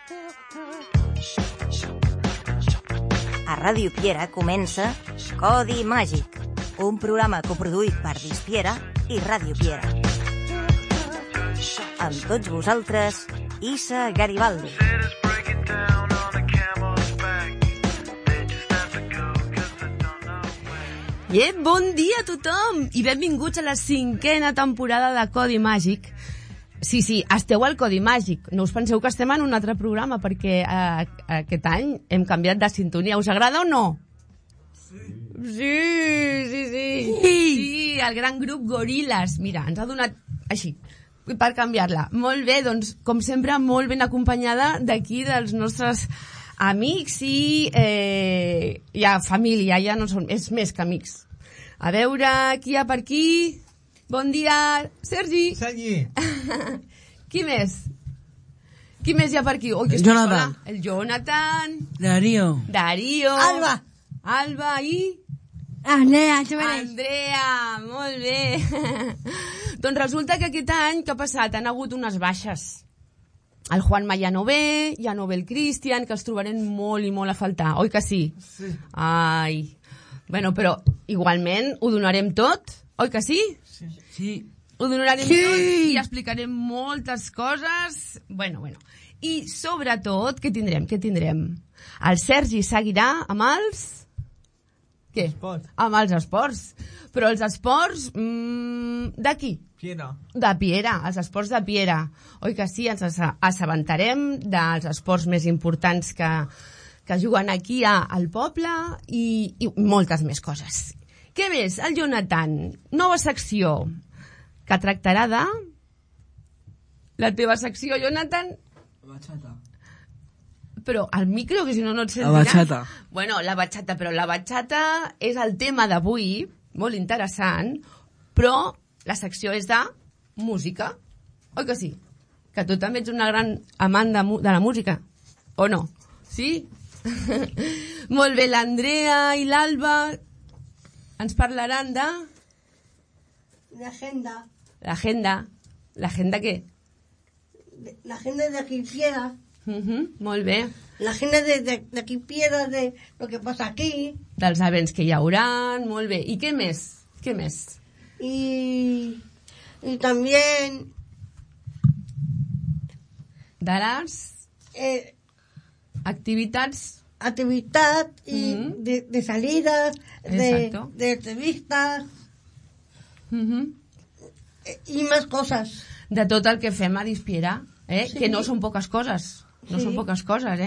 A Ràdio Piera comença Codi Màgic, un programa coproduït per Dispiera i Ràdio Piera. Amb tots vosaltres, Issa Garibaldi. Bon dia a tothom i benvinguts a la 5a temporada de Codi Màgic. Sí, esteu al Codi Màgic. No us penseu que estem en un altre programa perquè aquest any hem canviat de sintonia. Us agrada o no? Sí, el gran grup Goril·les. Mira, ens ha donat així per canviar-la. Molt bé, doncs, com sempre, molt ben acompanyada d'aquí dels nostres amics i ja família, ja no són, és més que amics. A veure, qui hi ha per aquí? Bon dia, Sergi. Qui més? Qui més hi ha per aquí? Oh, el Jonathan. El Jonathan. Darío. Alba i... Andrea, molt bé. Doncs resulta que aquest any, què ha passat? Han hagut unes baixes. El Juanma ja no ve el Cristian, que els trobarem molt i molt a faltar. Oi que sí? Sí. Ai. Bueno, però igualment ho donarem tot, oi que sí? Sí. Ho donarem tot i explicarem moltes coses. Bueno. I sobretot, què tindrem? El Sergi seguirà amb els... Què? Esports. Amb els esports. Però els esports d'aquí? Piera. De Piera, els esports de Piera. Oi que sí? Ens assabentarem dels esports més importants que juguen aquí al poble i moltes més coses. Què més? El Jonathan, nova secció que tractarà de... La teva secció, Jonathan? Bachata. Però al micro, que si no et sentiràs. La bachata. Bueno, la bachata, però la bachata és el tema d'avui, molt interessant, però la secció és de música. Oi que sí? Que tu també ets una gran amant de la música, o no? Sí? Molt bé, l'Andrea i l'Alba ens parlaran de... L'agenda. ¿L'agenda què? L'agenda de aquí Piera. Molt bé. L'agenda de aquí Piera, de lo que pasa aquí. Dels events que hi haurà, molt bé. I què més? Y también... De les... activitats y de salidas, de entrevistas y más cosas. De tot el que fem a Dispiera, Sí. Que no són poques coses. No són poques coses,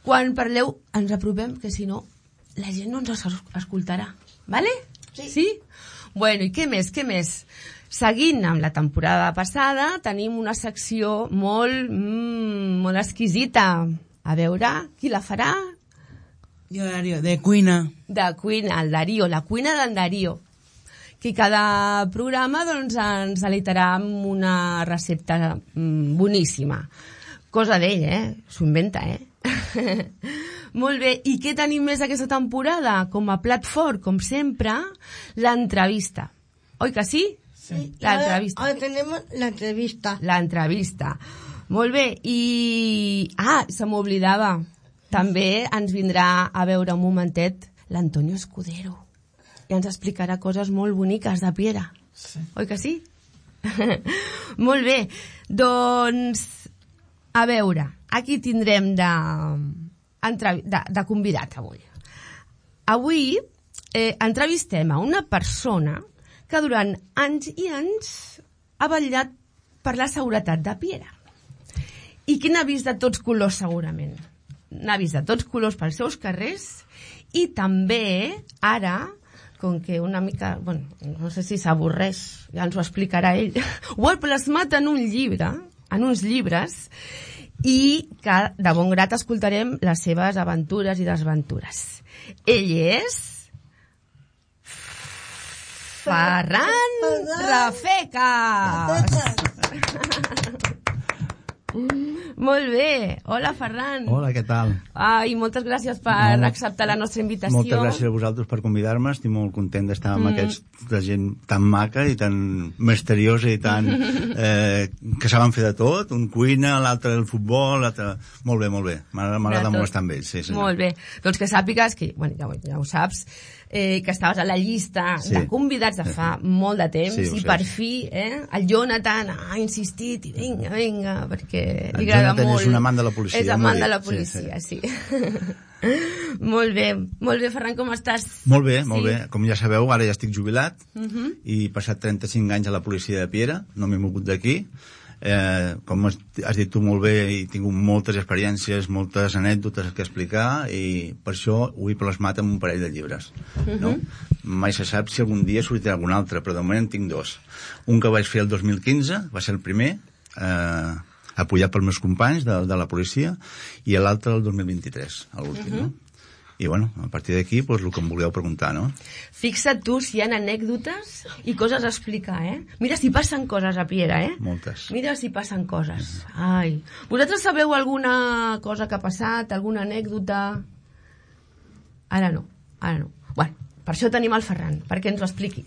Quan parleu, ens apropem, que si no, la gent no ens escoltarà. Vale? Sí? Bueno, i què més? Seguint amb la temporada passada, tenim una secció molt exquisita. A veure, qui la farà? Jo, Darío, de cuina. De cuina, el Darío, la cuina del Darío. Que cada programa doncs, ens alitarà amb una recepta boníssima. Cosa d'ell, s'ho inventa, Molt bé, i què tenim més aquesta temporada? Com a plat fort, com sempre, l'entrevista. Oi que sí? Sí. L'entrevista. Ahora tenemos la entrevista. L'entrevista. Molt bé, i... se m'oblidava. També ens vindrà a veure un momentet l'Antonio Escudero. I ens explicarà coses molt boniques de Piera. Sí. Oi que sí? Molt bé. Doncs, a veure, aquí tindrem de convidat avui. Avui entrevistem a una persona que durant anys i anys ha vetllat per la seguretat de Piera. I que n'ha vist de tots colors, segurament. N'ha vist de tots colors pels seus carrers i també, ara, com que una mica, bueno, no sé si s'avorreix, ja ens ho explicarà ell, ho ha plasmat en un llibre, en uns llibres, i que de bon grat escoltarem les seves aventures i desventures. Ell és... Ferran Rafecas! Molt bé. Hola, Ferran. Hola, què tal? Ai, moltes gràcies per acceptar la nostra invitació. Moltes gràcies a vosaltres per convidar-me. Estic molt content d'estar amb aquesta gent tan maca i tan misteriosa i tan... que saben fer de tot. Un cuina, l'altre el futbol, l'altre... Molt bé, molt bé. M'agrada molt estar amb ells. Sí, molt bé. Doncs que sàpigues que, bueno, ja ho saps, que estaves a la llista de convidats de fa molt de temps i per fi el Jonathan ha insistit i vinga, perquè li agrada molt. És un amant de la policia. És amant de la policia, sí. Molt bé, Ferran, com estàs? Molt bé. Com ja sabeu, ara ja estic jubilat i he passat 35 anys a la policia de Piera, no m'he mogut d'aquí. Com has dit tu molt bé, he tingut moltes experiències, moltes anècdotes que explicar i per això ho he plasmat en un parell de llibres, no? Mai se sap si algun dia sortirà algun altre, però de moment en tinc dos. Un que vaig fer el 2015, va ser el primer, apoyat pels meus companys de la policia, i l'altre el 2023, l'últim, no? I bueno, a partir d'aquí, el que em vulgueu preguntar, no? Fixa't tu si hi ha anècdotes i coses a explicar, Mira si passen coses a Piera, Moltes. Mira si passen coses. Ai. Vosaltres sabeu alguna cosa que ha passat, alguna anècdota? Ara no. Bueno, per això tenim el Ferran, perquè ens ho expliqui.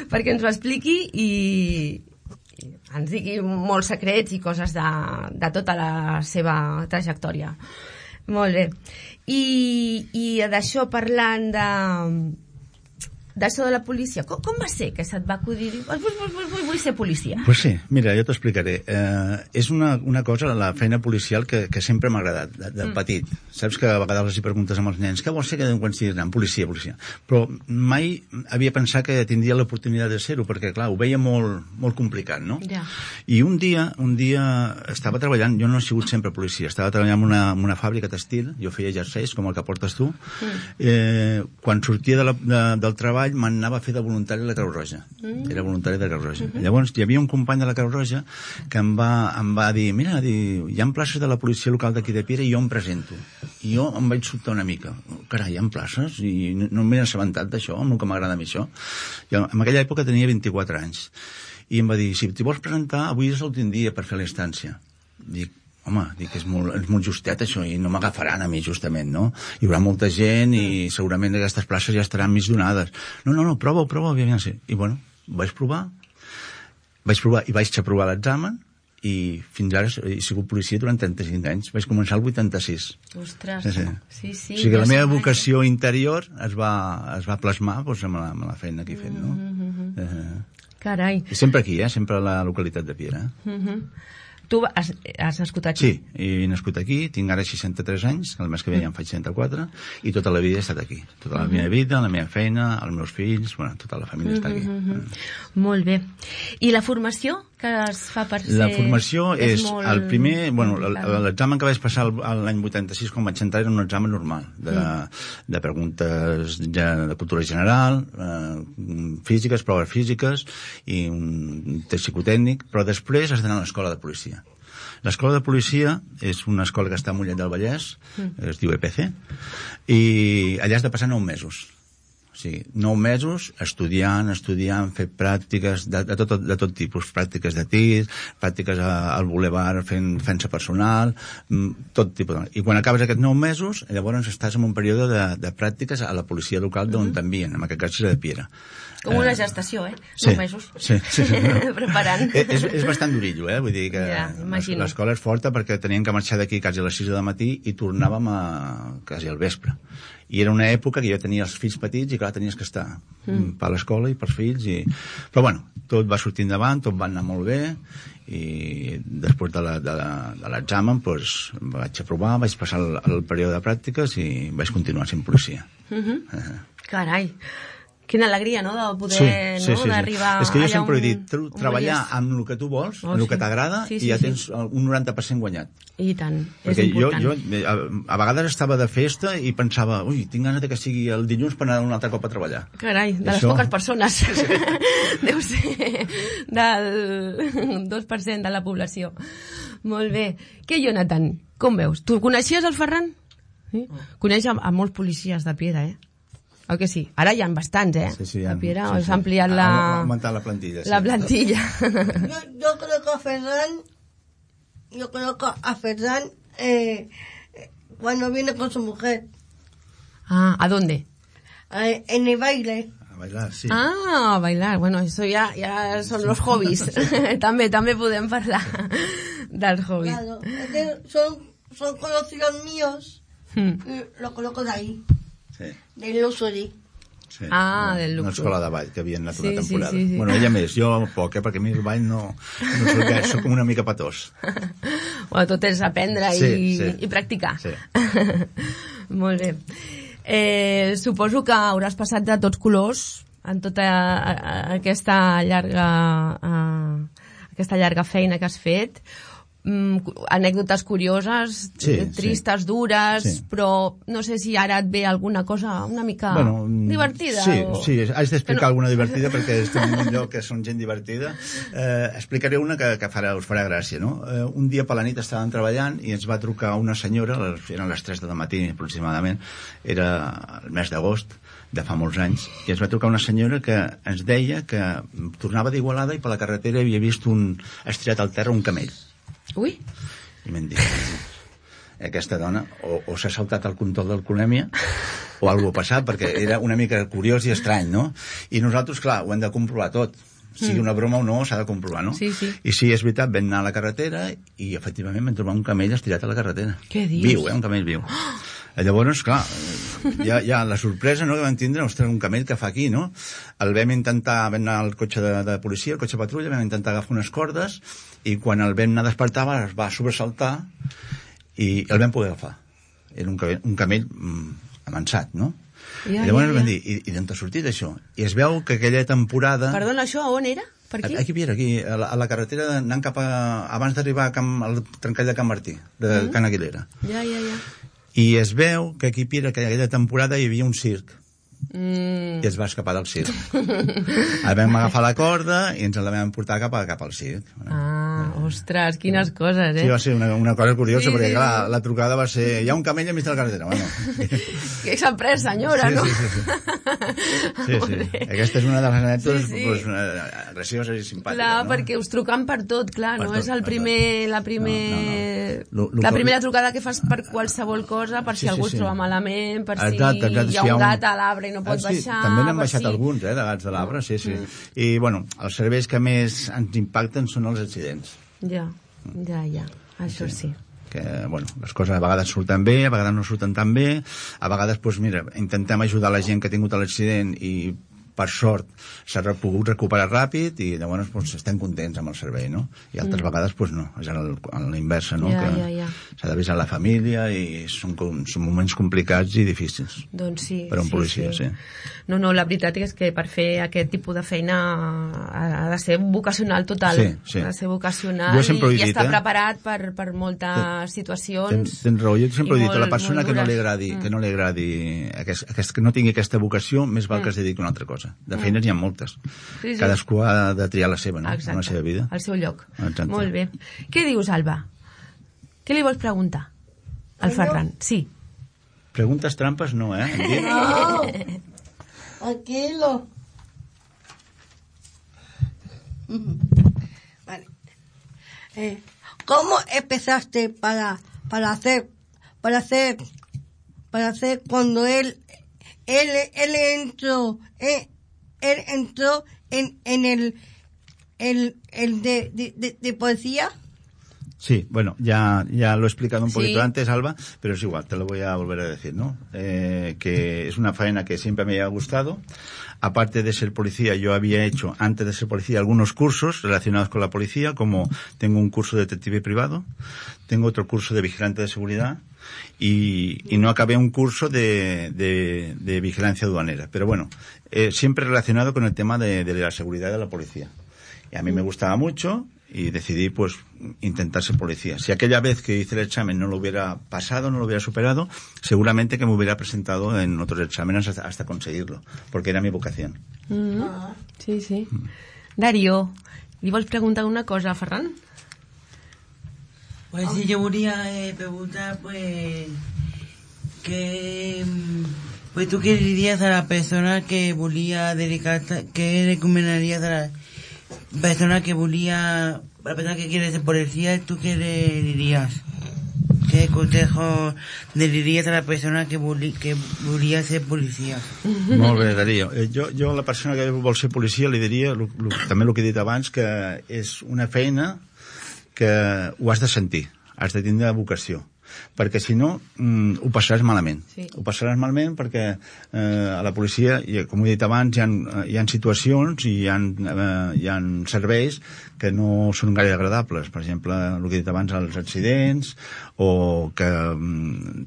Perquè ens ho expliqui i ens digui molts secrets i coses de tota la seva trajectòria. Molt bé. I d'això, parlant d'això de la policia, com va ser que se't va acudir vull ser policia? Pues sí, mira, jo t'explicaré. És una cosa, la feina policial, que sempre m'ha agradat, de petit. Saps que a vegades els hi preguntes amb els nens què vols ser quan siguis gran? Policia. Però mai havia pensat que tindria l'oportunitat de ser-ho, perquè clar, ho veia molt complicat, no? Ja. I un dia estava treballant, jo no he sigut sempre policia, estava treballant en una fàbrica textil, jo feia jerseis, com el que portes tu. Quan sortia del treball m'anava a fer de voluntari a la Creu Roja. Era voluntari de la Creu Roja. Llavors hi havia un company de la Creu Roja que em va dir, mira, hi ha places de la policia local d'aquí de Piera i jo em presento. I jo em vaig sobtar una mica. Carai, hi ha places? I no m'he assabentat d'això, amb el que m'agrada a mi això. I en aquella època tenia 24 anys. I em va dir, si t'hi vols presentar, avui és l'últim dia per fer l'estància. Dic, home, és molt justet això i no m'agafaran a mi justament, no? Hi haurà molta gent i segurament aquestes places ja estaran més donades. No, prova, aviam sí. I bueno, vaig provar i vaig aprovar l'examen i fins ara he sigut policia durant 35 anys. Vaig començar el 86. Ostres, sí. O sigui que la meva vocació interior es va plasmar amb la feina que he fet, no? Carai. I sempre aquí, sempre a la localitat de Piera. Tu has nascut aquí? Sí, he nascut aquí, tinc ara 63 anys, el mes que ve ja en faig 64, i tota la vida he estat aquí. Tota la meva vida, la meva feina, els meus fills, tota la família està aquí. Molt bé. I la formació que es fa per ser... La formació és molt... el primer... l'examen que vaig passar l'any 86 quan vaig entrar era un examen normal, de preguntes de cultura general, físiques, proves físiques, i un test psicotècnic, però després has d'anar a l'escola de policia. L'escola de policia és una escola que està a Mollet del Vallès, es diu EPC, i allà has de passar 9 mesos. O sigui, 9 mesos estudiant, fer pràctiques de tot tipus, pràctiques de tir, pràctiques al bulevard fent-se personal, tot tipus. I quan acabes aquests 9 mesos, llavors estàs en un període de pràctiques a la policia local d'on t'envien, en aquest cas és de Piera. Com una gestació, 9 mesos. Sí. Preparant. És bastant durillo, vull dir que l'escola és forta perquè teníem que marxar d'aquí quasi a les 6 del matí i tornàvem quasi al vespre. I era una època que jo tenia els fills petits i clar, tenies que estar per l'escola i pels fills. Però bueno, tot va sortir endavant, tot va anar molt bé i després de l'examen vaig aprovar, vaig passar el període de pràctiques i vaig continuar sent policia. Carai! Quina alegria, no?, de poder d'arribar... És que jo sempre he dit, treballar amb el que tu vols, amb el que t'agrada, i ja tens un 90% guanyat. I tant, és important. Jo a vegades estava de festa i pensava, tinc ganes que sigui el dilluns per anar un altre cop a treballar. Carai, de les poques persones. Deu ser del 2% de la població. Molt bé. Què, Jonathan? Com veus? Tu coneixies el Ferran? Coneix a molts policies de Piera, Oi que sí? Ara hi ha bastants, Sí, a Piera s'ha ampliat ha augmentat la plantilla. La plantilla. Yo creo que a Ferran yo conozco a Ferran cuando viene con su mujer Ah, ¿a dónde? en el baile. A bailar, sí. Ah, a bailar. Bueno, eso ja són los hobbies. també podem parlar dels hobbies. Claro, son conocidos míos. Lo conozco de ahí, Sí. del Luxury. Sí. Ah, del Una Luxor. escola de ball que havia anat Sí, una temporada. sí. Bueno, ella més, jo poc, perquè a mi el ball no soc gaire, soc una mica patós. Bueno, tot és aprendre i practicar. Sí. Molt bé. Suposo que hauràs passat de tots colors en tota aquesta llarga feina que has fet. Anècdotes curioses, tristes, dures, però no sé si ara et ve alguna cosa una mica divertida. Sí, haig d'explicar alguna divertida perquè estem en un lloc que són gent divertida. Explicaré una que us farà gràcia, no? Un dia per la nit estàvem treballant i ens va trucar una senyora, eren les 3 del matí aproximadament, era el mes d'agost de fa molts anys, i ens va trucar una senyora que ens deia que tornava d'Igualada i per la carretera havia vist estirat al terra un camell. Ui. I m'han dit, aquesta dona o s'ha saltat el control d'alcoholèmia o alguna cosa ha passat, perquè era una mica curiós i estrany, no? I nosaltres, clar, ho hem de comprovar tot. Sigui una broma o no, s'ha de comprovar, no? Sí. I sí, és veritat, vam anar a la carretera i efectivament vam trobar un camell estirat a la carretera. Què dius? Viu, un camell viu. Llavors, clar, ja la sorpresa, no?, que vam tindre, ostres, un camell que fa aquí, no? El vam intentar, vam anar al cotxe de policia, al cotxe patrulla, vam intentar agafar unes cordes i quan el vam anar a despertar es va sobresaltar i el vam poder agafar. Era un camell amansat, no? Llavors vam dir, i d'on t'ha sortit això? I es veu que aquella temporada... Perdona, això on era? Per aquí? Aquí, a la carretera anant cap a... abans d'arribar al trencall de Can Martí, de Can Aguilera. Ja. I es veu que aquí Piera, que aquella temporada hi havia un circ. I es va escapar del circ. El vam agafar la corda i ens la vam portar cap al circ. Ostres, quines coses, Sí, va ser una cosa curiosa, perquè clar, la trucada va ser, hi ha un camell enmig de la carretera. Bueno. Que s'ha pres, senyora, no? Sí. Aquesta és una de les anècdotes gracioses i simpàtiques. Clar, perquè us truquen per tot, clar, no és la primera trucada que fas per qualsevol cosa, per si algú es troba malament, per si hi ha un gat a l'arbre i no pot baixar... També n'han baixat alguns, de gats de l'arbre, sí. I, bueno, els serveis que més ens impacten són els accidents. Ja, això sí. Que, bueno, les coses a vegades surten bé, a vegades no surten tan bé, a vegades, doncs, mira, intentem ajudar la gent que ha tingut l'accident i per sort s'ha pogut recuperar ràpid i llavors doncs, estem contents amb el servei, no? I altres vegades doncs, no, és a la inversa, no? Ja. S'ha d'avisar la família i són moments complicats i difícils. Doncs sí. Per a un policia, sí. No, la veritat és que per fer aquest tipus de feina ha de ser vocacional total. Sí. Ha de ser vocacional i estar preparat per moltes situacions. Tens raó, jo sempre he dit, a la persona que no li agradi, que no tingui aquesta vocació, més val que es dediqui a una altra cosa. De feines hi ha moltes. Sí. Cadascú ha de triar la seva, no? Exacte. La seva vida. El seu lloc. Exacte. Molt bé. Què dius, Alba? Què li vols preguntar al Ferran? Sí. Preguntes trampes no, ¿eh? No, tranquilo. Vale. ¿Cómo empezaste para hacer cuando él entró en el de policía? Sí, bueno, ya lo he explicado un poquito antes, Alba, pero es igual, te lo voy a volver a decir, ¿no? Que es una faena que siempre me ha gustado. Aparte de ser policía, yo había hecho, antes de ser policía, algunos cursos relacionados con la policía, como tengo un curso de detective privado, tengo otro curso de vigilante de seguridad, y no acabé un curso de vigilancia aduanera. Pero bueno, siempre relacionado con el tema de la seguridad de la policía. Y a mí me gustaba mucho y decidí pues intentar ser policía. Si aquella vez que hice el examen no lo hubiera pasado, no lo hubiera superado, seguramente que me hubiera presentado en otros exámenes hasta conseguirlo, porque era mi vocación. Sí. Darío, li vols preguntar una cosa a Ferran? Pues sí, yo volia preguntar, pues tú qué dirías a la persona que volia dedicar-se, què recomanaries a persona que quiere ser policía, ¿tú qué le dirías? ¿Qué consejo le diries a la persona que volia ser policia? Molt bé, Darío. Jo a la persona que vol ser policia li diria, també el que he dit abans, que és una feina que ho has de sentir, has de tindre vocació, perquè si no ho passaràs malament. Sí. Ho passaràs malament perquè a la policia, com he dit abans, hi ha situacions i hi ha serveis que no són gaire agradables. Per exemple, el que he dit abans, els accidents, o que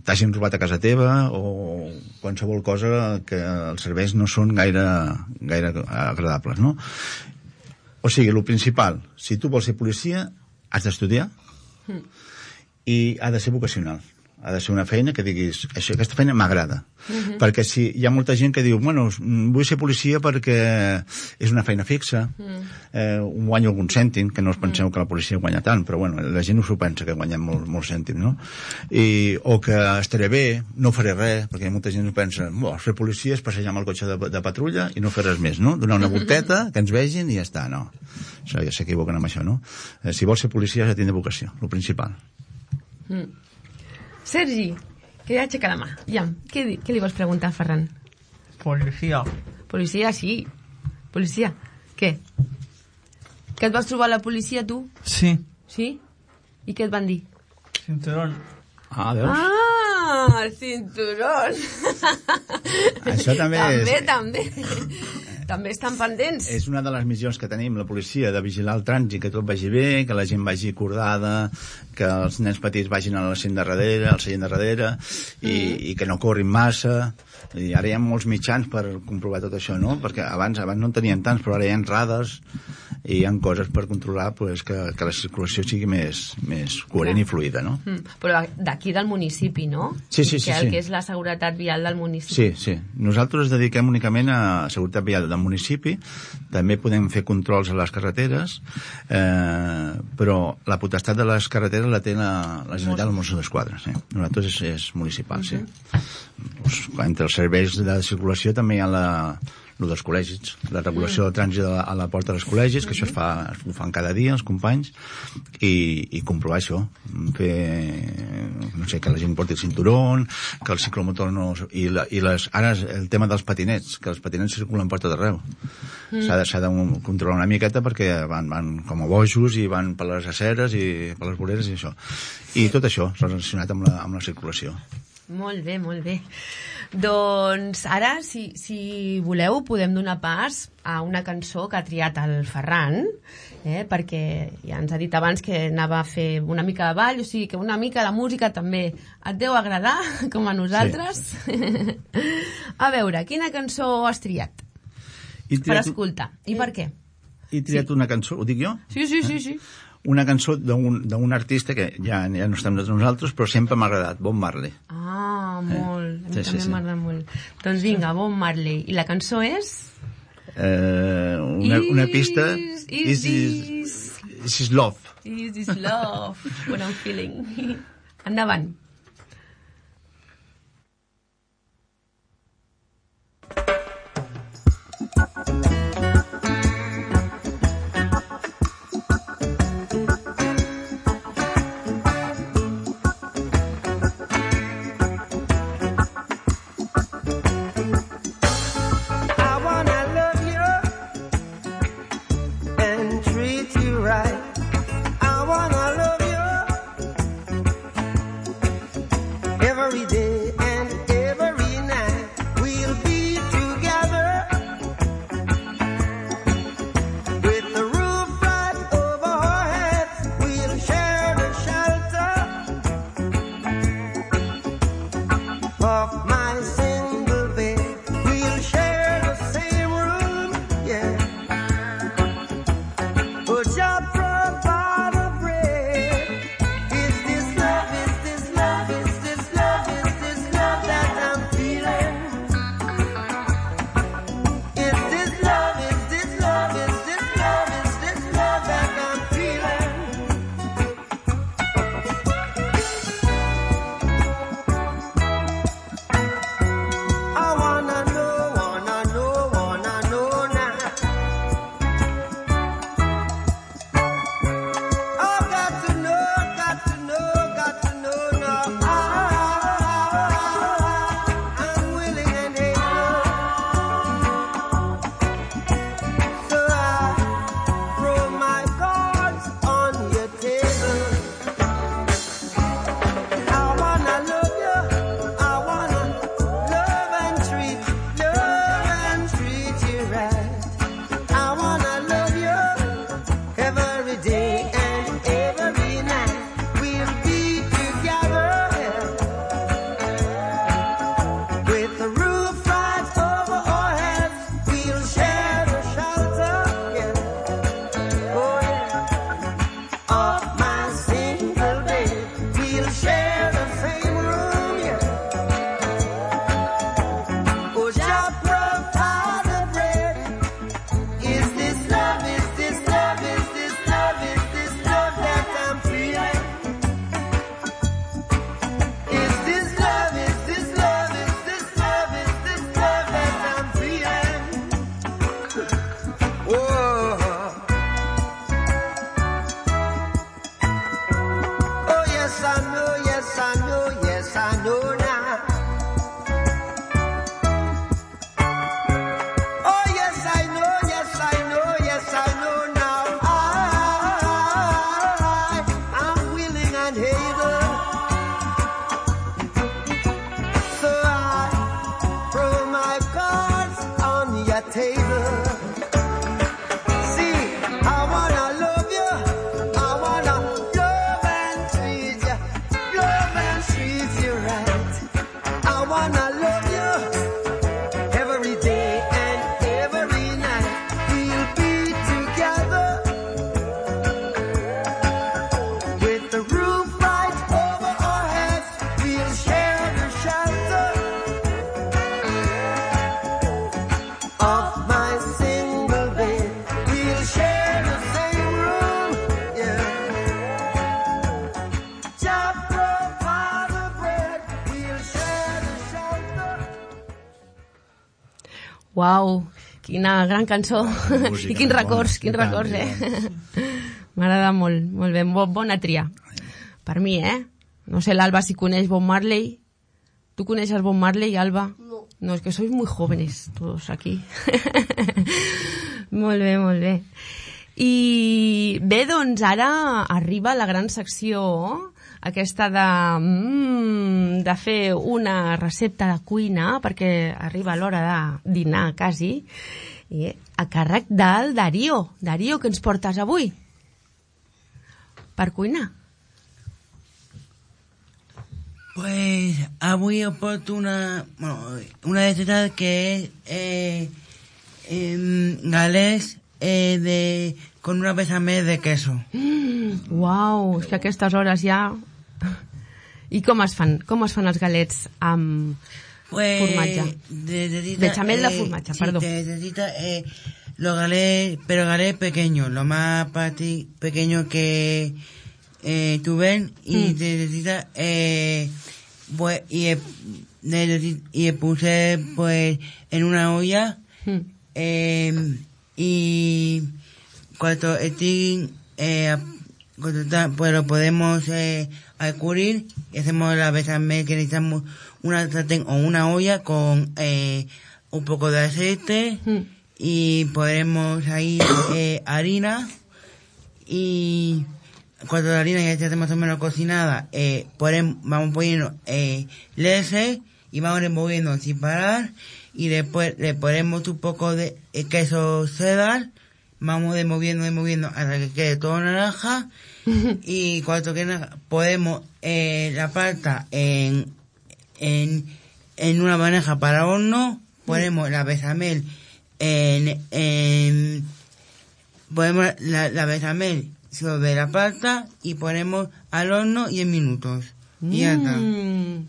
t'hagin robat a casa teva, o qualsevol cosa que els serveis no són gaire agradables, no? O sigui, el principal, si tu vols ser policia, has d'estudiar i ha de ser vocacional. Ha de ser una feina que diguis, aquesta feina m'agrada. Perquè si hi ha molta gent que diu, bueno, vull ser policia perquè és una feina fixa, guanyo algun cèntim, que no us penseu que la policia guanya tant, però bueno, la gent no s'ho pensa que guanyem molts cèntims, no? O que estaré bé, no faré res, perquè molta gent pensa, fer policia és passejar amb el cotxe de patrulla i no fer res més, no? Donar una volteta, que ens vegin i ja està, no. Això ja s'equivoquen amb això, no? Si vols ser policia has de tindre vocació, el principal. Sergi, que ja aixeca la mà. Ja, què li vols preguntar, Ferran? Policia. Policia, sí. Policia. Què? Que et vas trobar a la policia, tu? Sí. Sí? I què et van dir? Cinturón. Ah, veus? Ah, el cinturón. Això també També. També estan pendents. És una de les missions que tenim, la policia, de vigilar el trànsit, que tot vagi bé, que la gent vagi acordada, que els nens petits vagin al seient darrere, i que no corrin massa. I ara hi ha molts mitjans per comprovar tot això, no? Perquè abans no en tenien tants, però ara hi ha radars i hi ha coses per controlar que la circulació sigui més coherent i fluida, no? Però d'aquí del municipi, no? Sí. Que és la seguretat vial del municipi. Sí. Nosaltres ens dediquem únicament a seguretat vial del municipi, també podem fer controls a les carreteres, però la potestat de les carreteres la té la Generalitat dels Mossos d'Esquadra. Nosaltres és municipal, sí. Entre els serveis de circulació també hi ha el dels col·legis, la regulació del trànsit a la porta dels col·legis, que això ho fan cada dia els companys, i comprovar això, fer, que la gent porti el cinturón, que el ciclomotor no... Ara el tema dels patinets, que els patinets circulen per tot arreu. S'ha de controlar una miqueta perquè van com a bojos i van per les aceres i per les voreres i això. I tot això relacionat amb la circulació. Molt bé. Doncs ara, si voleu, podem donar pas a una cançó que ha triat el Ferran, perquè ja ens ha dit abans que anava a fer una mica de ball, o sigui que una mica de música també et deu agradar, com a nosaltres. Sí. A veure, quina cançó has triat? Per escoltar. I per què? He triat una cançó, ho dic jo? Sí. Una cançó d'un artista que ja no estem nosaltres, però sempre m'ha agradat, Bob Marley. Ah, molt. A mi també m'agrada molt. Doncs vinga, Bob Marley. I la cançó és? Una pista... Is this love? Is this love? What I'm feeling. Endavant. Uau, quina gran cançó. Música, I quins records, bona. quins records, M'agrada molt, molt bé, bona tria. Per mi, No sé, l'Alba si coneix Bob Marley. Tu coneixes Bob Marley, Alba? No. No, es que sois muy jóvenes todos aquí. Molt bé, molt bé. I bé, doncs ara arriba la gran secció aquesta de fer una recepta de cuina, perquè arriba l'hora de dinar quasi, i a càrrec del Darío. Darío, què ens portes avui per cuinar? Pues avui yo porto una receta que es galets con una bechamel de queso. Uau, és que a aquestes hores ja... I com es fan els galets amb formatge? Bechamel de formatge, perdó. Sí, necesita los galets, pero galets pequeños, lo más pequeño que tú ven, y necesita pues y puse pues en una olla y cuando esté pues lo podemos cubrir y hacemos la bechamel, que necesitamos una sartén o una olla con un poco de aceite y ponemos ahí harina, y cuando la harina ya esté más o menos cocinada vamos poniendo leche y vamos removiendo sin parar, y después le ponemos un poco de queso cheddar, vamos removiendo hasta que quede todo naranja. Y cuando quede naranja, ponemos la pasta en una bandeja para horno, ponemos la bechamel ponemos la bechamel sobre la pasta y ponemos al horno 10 minutos. Y ya está.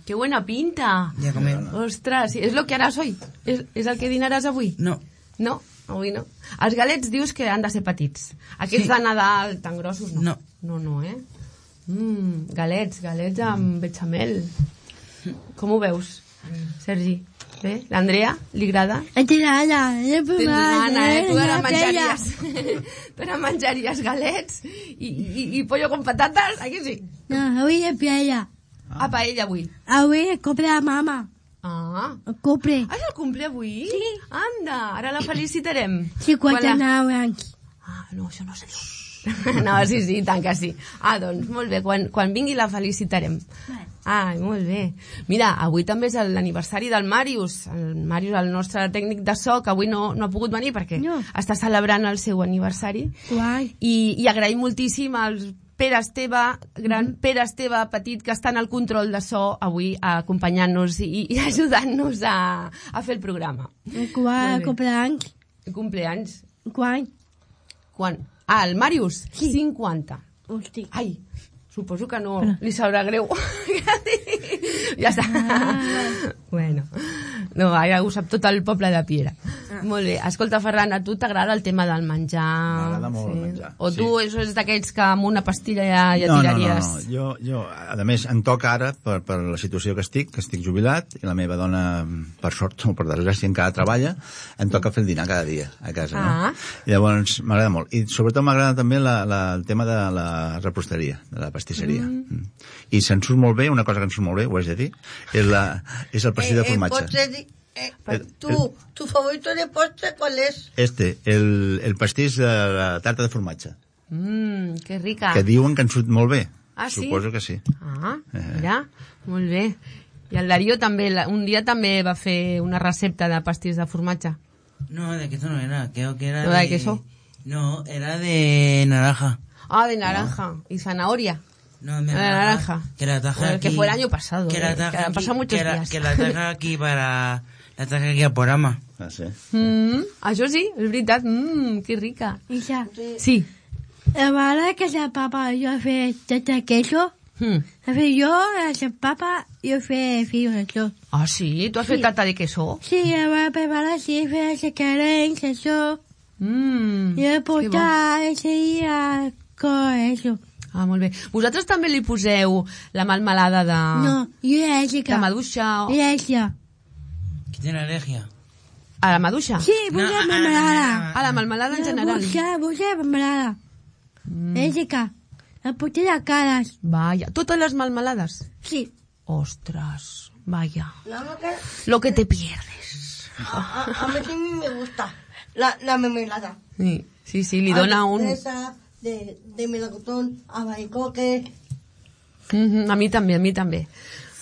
¡Qué buena pinta! Ja comem. Ostres, és el que haràs hoy? És el que dinaràs avui? No. No? Avui no. Els galets dius que han de ser petits. Aquests de Nadal tan grossos no. No, galets amb bechamel. Com ho veus, Sergi? Bé? L'Andrea, li agrada? T'agrada, Tu ara menjaries. Tu ara menjaries galets i pollo con patatas, aquí sí? No, avui és paella. A paella avui. Avui és cumple de mama. El cumple. És el cumple avui? Sí. Anda, ara la felicitarem. 59 anys. No, això no sé jo. No, sí, tant que sí. Doncs molt bé, quan vingui la felicitarem. Ai, molt bé. Mira, avui també és l'aniversari del Màrius. El Màrius, el nostre tècnic de so, que avui no ha pogut venir perquè està celebrant el seu aniversari. Guai. I agraïm moltíssim als Pere Esteve, gran Pere Esteve petit, que està en el control de so avui acompanyant-nos i ajudant-nos a fer el programa. Guai, cumpleaños. Cumpleaños. Guai. Quan? El Màrius? Sí. 50. Hosti. Ai, suposo que no li sabrà greu. Ja està. Bueno, no, ja ho sap tot el poble de Piera. Molt bé. Escolta, Ferran, a tu t'agrada el tema del menjar? M'agrada molt el menjar. O tu és d'aquells que amb una pastilla ja tiraries? No. Jo, a més, em toca ara, per la situació que estic jubilat, i la meva dona, per sort o per desgràcia, encara treballa, em toca fer el dinar cada dia a casa. No? I llavors m'agrada molt. I sobretot m'agrada també el tema de la reposteria, de la pastisseria. I se'n surt molt bé, una cosa que em surt molt bé, ho has de dir, és el pastís de formatge. ¿Tu favorito de postre cuál es? El pastís de la tarta de formatge. Que rica. Que diuen que en surt molt bé. Ah, sí? Suposo que sí. Mira, molt bé. I el Darío també, un dia també va fer una recepta de pastís de formatge. No, de queso no era, creo que era ¿No de queso? No, era de naranja. Ah, de naranja. ¿Y zanahoria? No, de naranja. Que la traje aquí. Que fue el año pasado. Que han pasado muchos días. Que la traje aquí para... La traje aquí al programa. Ah, sí? Això sí, és veritat. Que rica. Isa, Sí. la vegada que sa papa jo he fet tot el queso, jo, sa papa, jo he fet això. Ah, sí? Tu has fet tarta de queso? Sí, la va preparar, sí, he fet els carencs, això. Jo he portat ese dia con això. Ah, molt bé. Vosaltres també li poseu la melmelada de... No, jo he de maduixa? Jo he Que tiene alergia. A la maduixa? Sí, busca mermelada. A la melmelada en general. Busca mermelada. Jessica, la porté de caras. Vaya, totes les melmelades? Sí. Ostras, vaya. Nada más Lo que te pierdes. a mí sí me gusta la mermelada. Sí, li dona un... De melocotón, albaricoque... A mi també.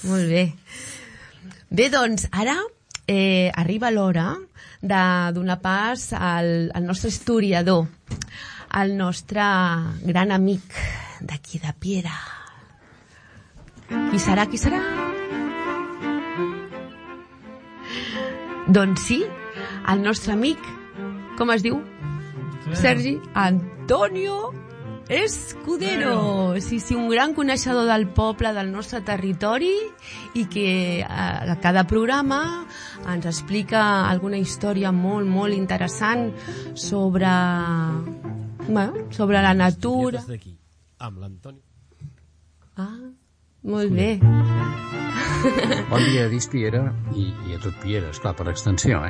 Molt bé. Bé, doncs, ara arriba l'hora de donar pas al nostre historiador, al nostre gran amic d'aquí de Piera. Qui serà? Doncs sí, el nostre amic, com es diu? Sergi Antonio Escudero. Sí, un gran coneixedor del poble, del nostre territori, i que a cada programa ens explica alguna història molt, molt interessant sobre la natura. Des d'aquí, amb l'Antoni. Molt bé. Bon dia a Dispiera i a tot Piera, esclar, per extensió,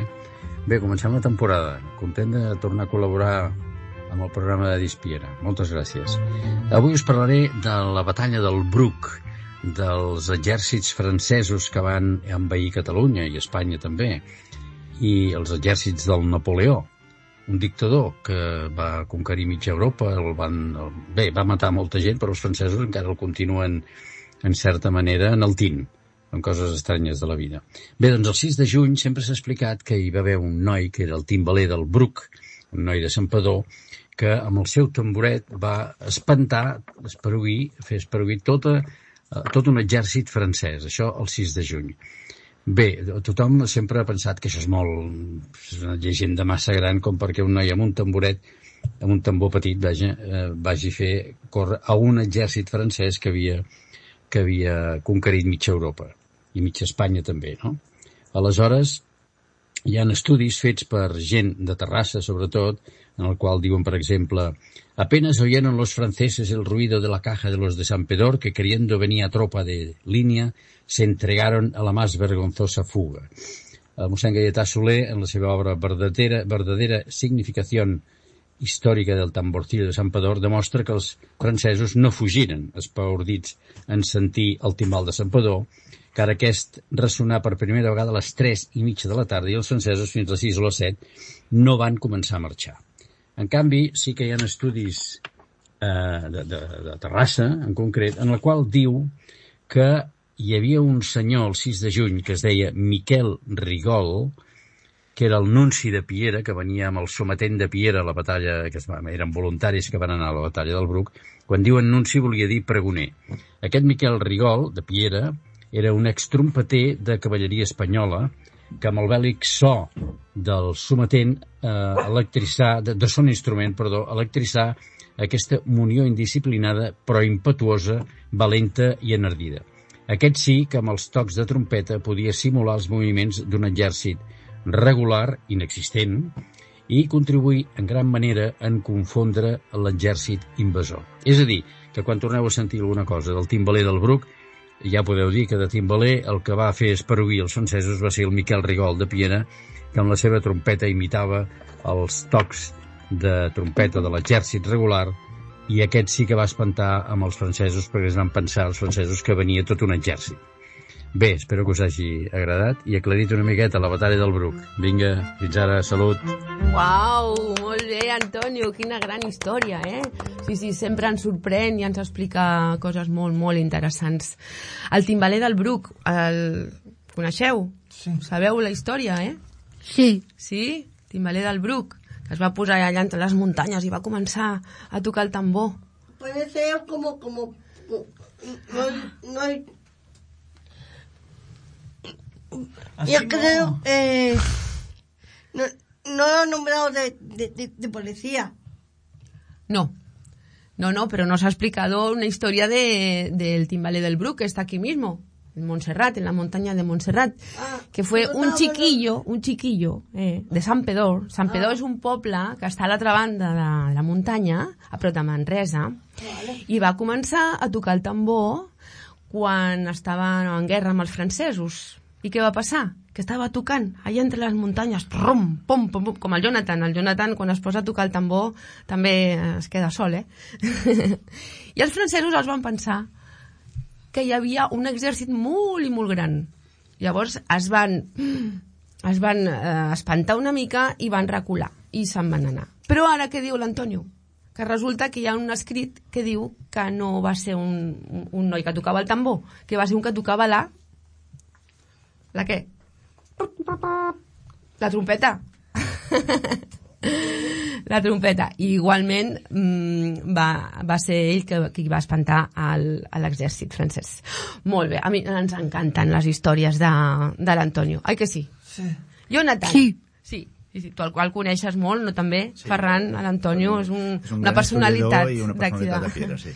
Bé, comencem la temporada. Content de tornar a col·laborar amb el programa de Dispiera. Moltes gràcies. Avui us parlaré de la batalla del Bruc, dels exèrcits francesos que van envair Catalunya i Espanya també, i els exèrcits del Napoleó, un dictador que va conquerir mitja Europa, va matar molta gent, però els francesos encara el continuen, en certa manera, enaltint. Són coses estranyes de la vida. Bé, doncs el 6 de juny sempre s'ha explicat que hi va haver un noi que era el timbaler del Bruc, un noi de Santpedor, que amb el seu tamboret va fer esparuir tot un exèrcit francès, això el 6 de juny. Bé, tothom sempre ha pensat que això és una llegenda massa gran com perquè un noi amb un tamboret, amb un tambor petit, vagi a fer córrer a un exèrcit francès que havia conquerit mitja Europa i mitja Espanya també, no? Aleshores, hi ha estudis fets per gent de Terrassa, sobretot, en el qual diuen, per exemple, apenas oyeron los franceses el ruido de la caja de los de Santpedor que queriendo venía tropa de línea se entregaron a la más vergonzosa fuga. El mossèn Gaietà Soler, en la seva obra Verdadera significación històrica del tamborcillo de Santpedor, demostra que els francesos no fugiren espaordits en sentir el timbal de Santpedor, que ara aquest ressonà per primera vegada a les 3:30 de la tarda i els francesos fins a les 6 o les 7 no van començar a marxar. En canvi, sí que hi ha estudis de Terrassa, en concret, en el qual diu que hi havia un senyor el 6 de juny que es deia Miquel Rigol, que era el nunci de Piera, que venia amb el sometent de Piera a la batalla, eren voluntaris que van anar a la batalla del Bruc. Quan diuen nunci volia dir pregoner. Aquest Miquel Rigol, de Piera, era un extrompeter de cavalleria espanyola que amb el bèl·lic so del sometent de son instrument, electritzar aquesta munió indisciplinada però impetuosa, valenta i enardida. Aquest sí que amb els tocs de trompeta podia simular els moviments d'un exèrcit regular, inexistent, i contribuir en gran manera en confondre l'exèrcit invasor. És a dir, que quan torneu a sentir alguna cosa del timbaler del Bruc, ja podeu dir que de timbaler el que va fer esparuir els francesos va ser el Miquel Rigol de Piera, que amb la seva trompeta imitava els tocs de trompeta de l'exèrcit regular, i aquest sí que va espantar amb els francesos perquè es van pensar els francesos que venia tot un exèrcit. Bé, espero que us hagi agradat i aclarit una miqueta la batalla del Bruc. Vinga, fins ara, salut. Uau, molt bé, Antonio, quina gran història, Sí, sempre ens sorprèn i ens explica coses molt, molt interessants. El timbaler del Bruc, el coneixeu? Sí. Sabeu la història, Sí. Sí? Timbaler del Bruc, que es va posar allà entre les muntanyes i va començar a tocar el tambor. Puede ser como no hay... Yo creo no lo han nombrado de policía. No, pero nos ha explicado una historia del timbaler del Bruc, que está aquí mismo, en Montserrat, en la montaña de Montserrat, que fue un chiquillo de Santpedor. Santpedor és un poble que està a l'altra banda de la muntanya, a prop de Manresa, i va començar a tocar el tambor quan estaven en guerra amb els francesos. I què va passar? Que estava tocant allà entre les muntanyes, pom, pom, pom, pom, com el Jonathan. El Jonathan, quan es posa a tocar el tambor, també es queda sol, I els francesos els van pensar que hi havia un exèrcit molt i molt gran. Llavors es van espantar una mica i van recular, i se'n van anar. Però ara què diu l'Antonio? Que resulta que hi ha un escrit que diu que no va ser un noi que tocava el tambor, que va ser un que tocava la què? La trompeta. La trompeta. I igualment va ser ell qui va espantar a l'exèrcit francès. Molt bé, a mi ens encanten les històries de l'Antonio. Ai que sí? Sí. Jonathan? Sí, tu el qual coneixes molt, no també? Sí. Ferran, l'Antonio és una personalitat i una personalitat de Piera, sí.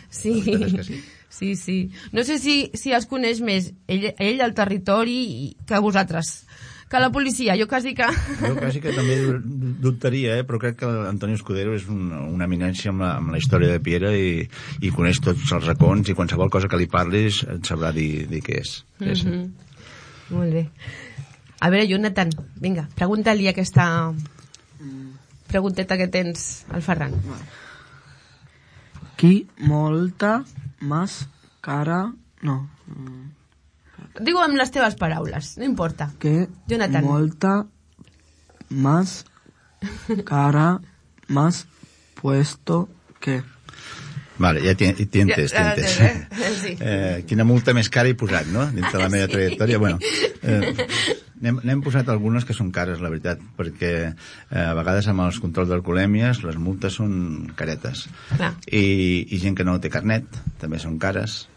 Sí. No sé si els coneix més ell al territori que vosaltres, que la policia. Jo quasi que també dubtaria, però crec que l'Antonio Escudero és una eminència amb la història de Piera i coneix tots els racons i qualsevol cosa que li parlis et sabrà dir què és. Molt bé. A veure, Jonathan, vinga, pregunta-li aquesta pregunteta que tens al Ferran. Qui molta más cara... No. Digo amb les teves paraules, no importa. Que Jonathan. Molta más cara más puesto que... Vale, ja t'hi entès. Sí. Quina multa més cara he posat, no? Dins de la meva trajectòria. Bueno, n'hem posat algunes que són cares, la veritat, perquè a vegades amb els controls d'alcoholèmies les multes són caretes. I gent que no té carnet també són cares.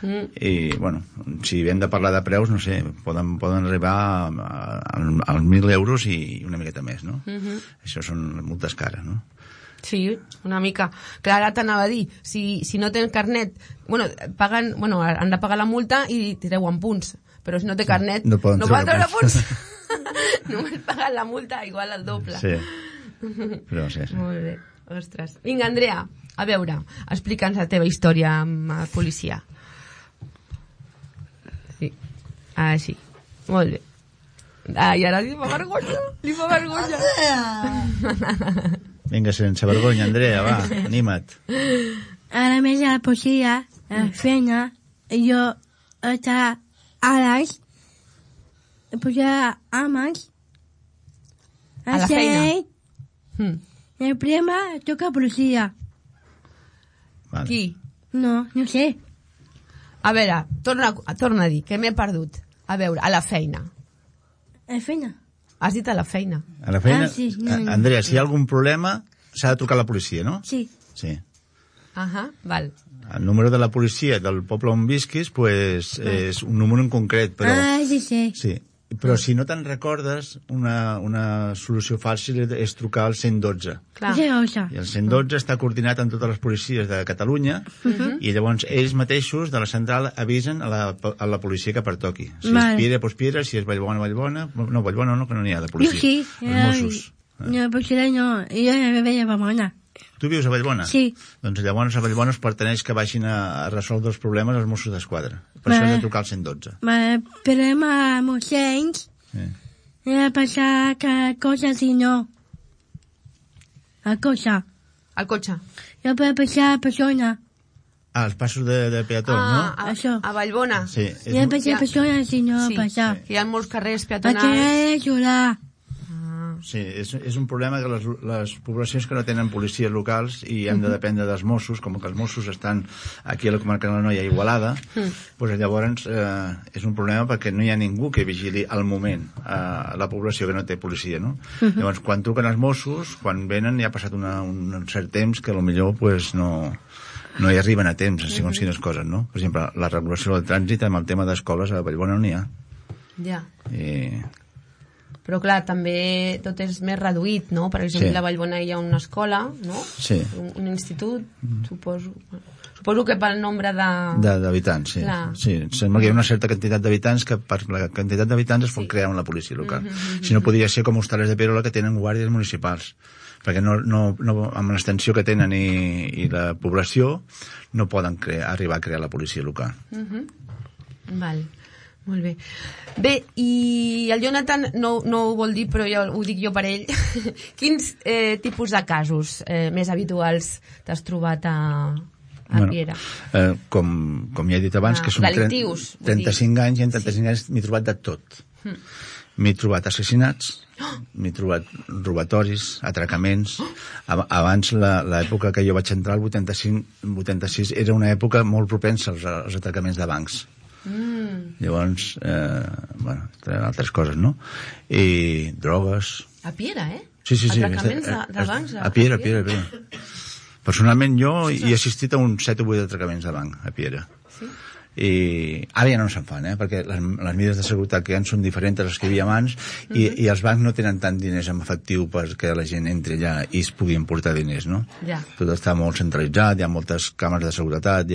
I, bueno, si hem de parlar de preus, no sé, poden arribar als 1.000 euros i una miqueta més, no? Això són multes cares, no? Sí, una mica. Clar, ara t'anava a dir, si no tens carnet, han de pagar la multa i treuen punts, però si no té carnet no poden treure punts. Només paguen la multa igual al doble. Sí, però sí. Molt bé, ostres. Vinga, Andrea, a veure, explica'ns la teva història amb la policia. Sí, sí, molt bé. I ara li fa vergonya. Vinga, sense vergonya, Andrea, va, anima't. Ara més a la policia, a la feina, jo estava a les... posava amants a la feina. I el prima toca policia. Vale. Qui? No sé. A veure, torna a dir, que m'he perdut. A veure, a la feina. A la feina. Has dit a la feina. A la feina? Sí, no. Andrea, si hi ha algun problema, s'ha de trucar a la policia, no? Sí. Val. El número de la policia del poble on visquis, pues, és un número en concret, però... Sí. Però si no te'n recordes, una solució fàcil és trucar al 112. Clar. I el 112 està coordinat amb totes les policies de Catalunya i llavors ells mateixos de la central avisen a la policia que pertoqui. Si és Piera, doncs Piera, si és Vallbona. No, Vallbona no, que no n'hi ha de policia. Jo sí. Els Mossos. No, potser no. Jo no veia Vallbona. Tu vius a Vallbona? Sí. Doncs llavors a Vallbona es perteneix que vagin a resoldre els problemes als Mossos d'Esquadra. Per això has de trucar al 112. Però amb ocells he de passar cada cosa si no. El cotxe. Jo puc passar a persona. Els passos de peatons, no? Això. A Vallbona. Sí. He de passar a persona si no passar. Hi ha molts carrers peatonals. Aquí he d'ajudar. Sí, és un problema que les poblacions que no tenen policies locals i han de dependre dels Mossos, com que els Mossos estan aquí a la comarca de l'Anoia, Igualada, doncs llavors és un problema perquè no hi ha ningú que vigili al moment la població que no té policia, no? Llavors, quan truquen els Mossos, quan venen ja ha passat un cert temps que potser pues, no hi arriben a temps, segons quines coses, no? Per exemple, la regulació del trànsit amb el tema d'escoles a Vallbona no n'hi ha. Ja. Però clar, també tot és més reduït, no? Per exemple, a Vallbona hi ha una escola, no? Sí. Un institut, suposo. Suposo que pel nombre d'habitants, sí. Sí. Sembla que hi ha una certa quantitat d'habitants que per la quantitat d'habitants es pot crear una policia local. Si no, podria ser com Hostales de Perola, que tenen guàrdies municipals. Perquè amb l'extensió que tenen i la població no poden arribar a crear la policia local. Val. Molt bé. Bé, i el Jonathan no ho vol dir, però ja ho dic jo per ell. Quins tipus de casos més habituals t'has trobat a Piera? Com ja he dit abans, que són 35 anys, i en 35 anys m'he trobat de tot. M'he trobat assassinats, m'he trobat robatoris, atracaments. Abans, l'època que jo vaig entrar, el 85-86, era una època molt propensa als atracaments de bancs. Llavors, altres coses, no? I drogues. A Piera, Sí. Atracaments de bancs? A Piera. Personalment, jo he assistit a uns 7 o 8 atracaments de banc, a Piera. Sí? I ara ja no se'n fan, perquè les mesures de seguretat que hi ha són diferents a les que hi havia abans, i els bancs no tenen tant diners en efectiu perquè la gent entri allà i es puguin portar diners, no? Ja. Tot està molt centralitzat, hi ha moltes càmeres de seguretat,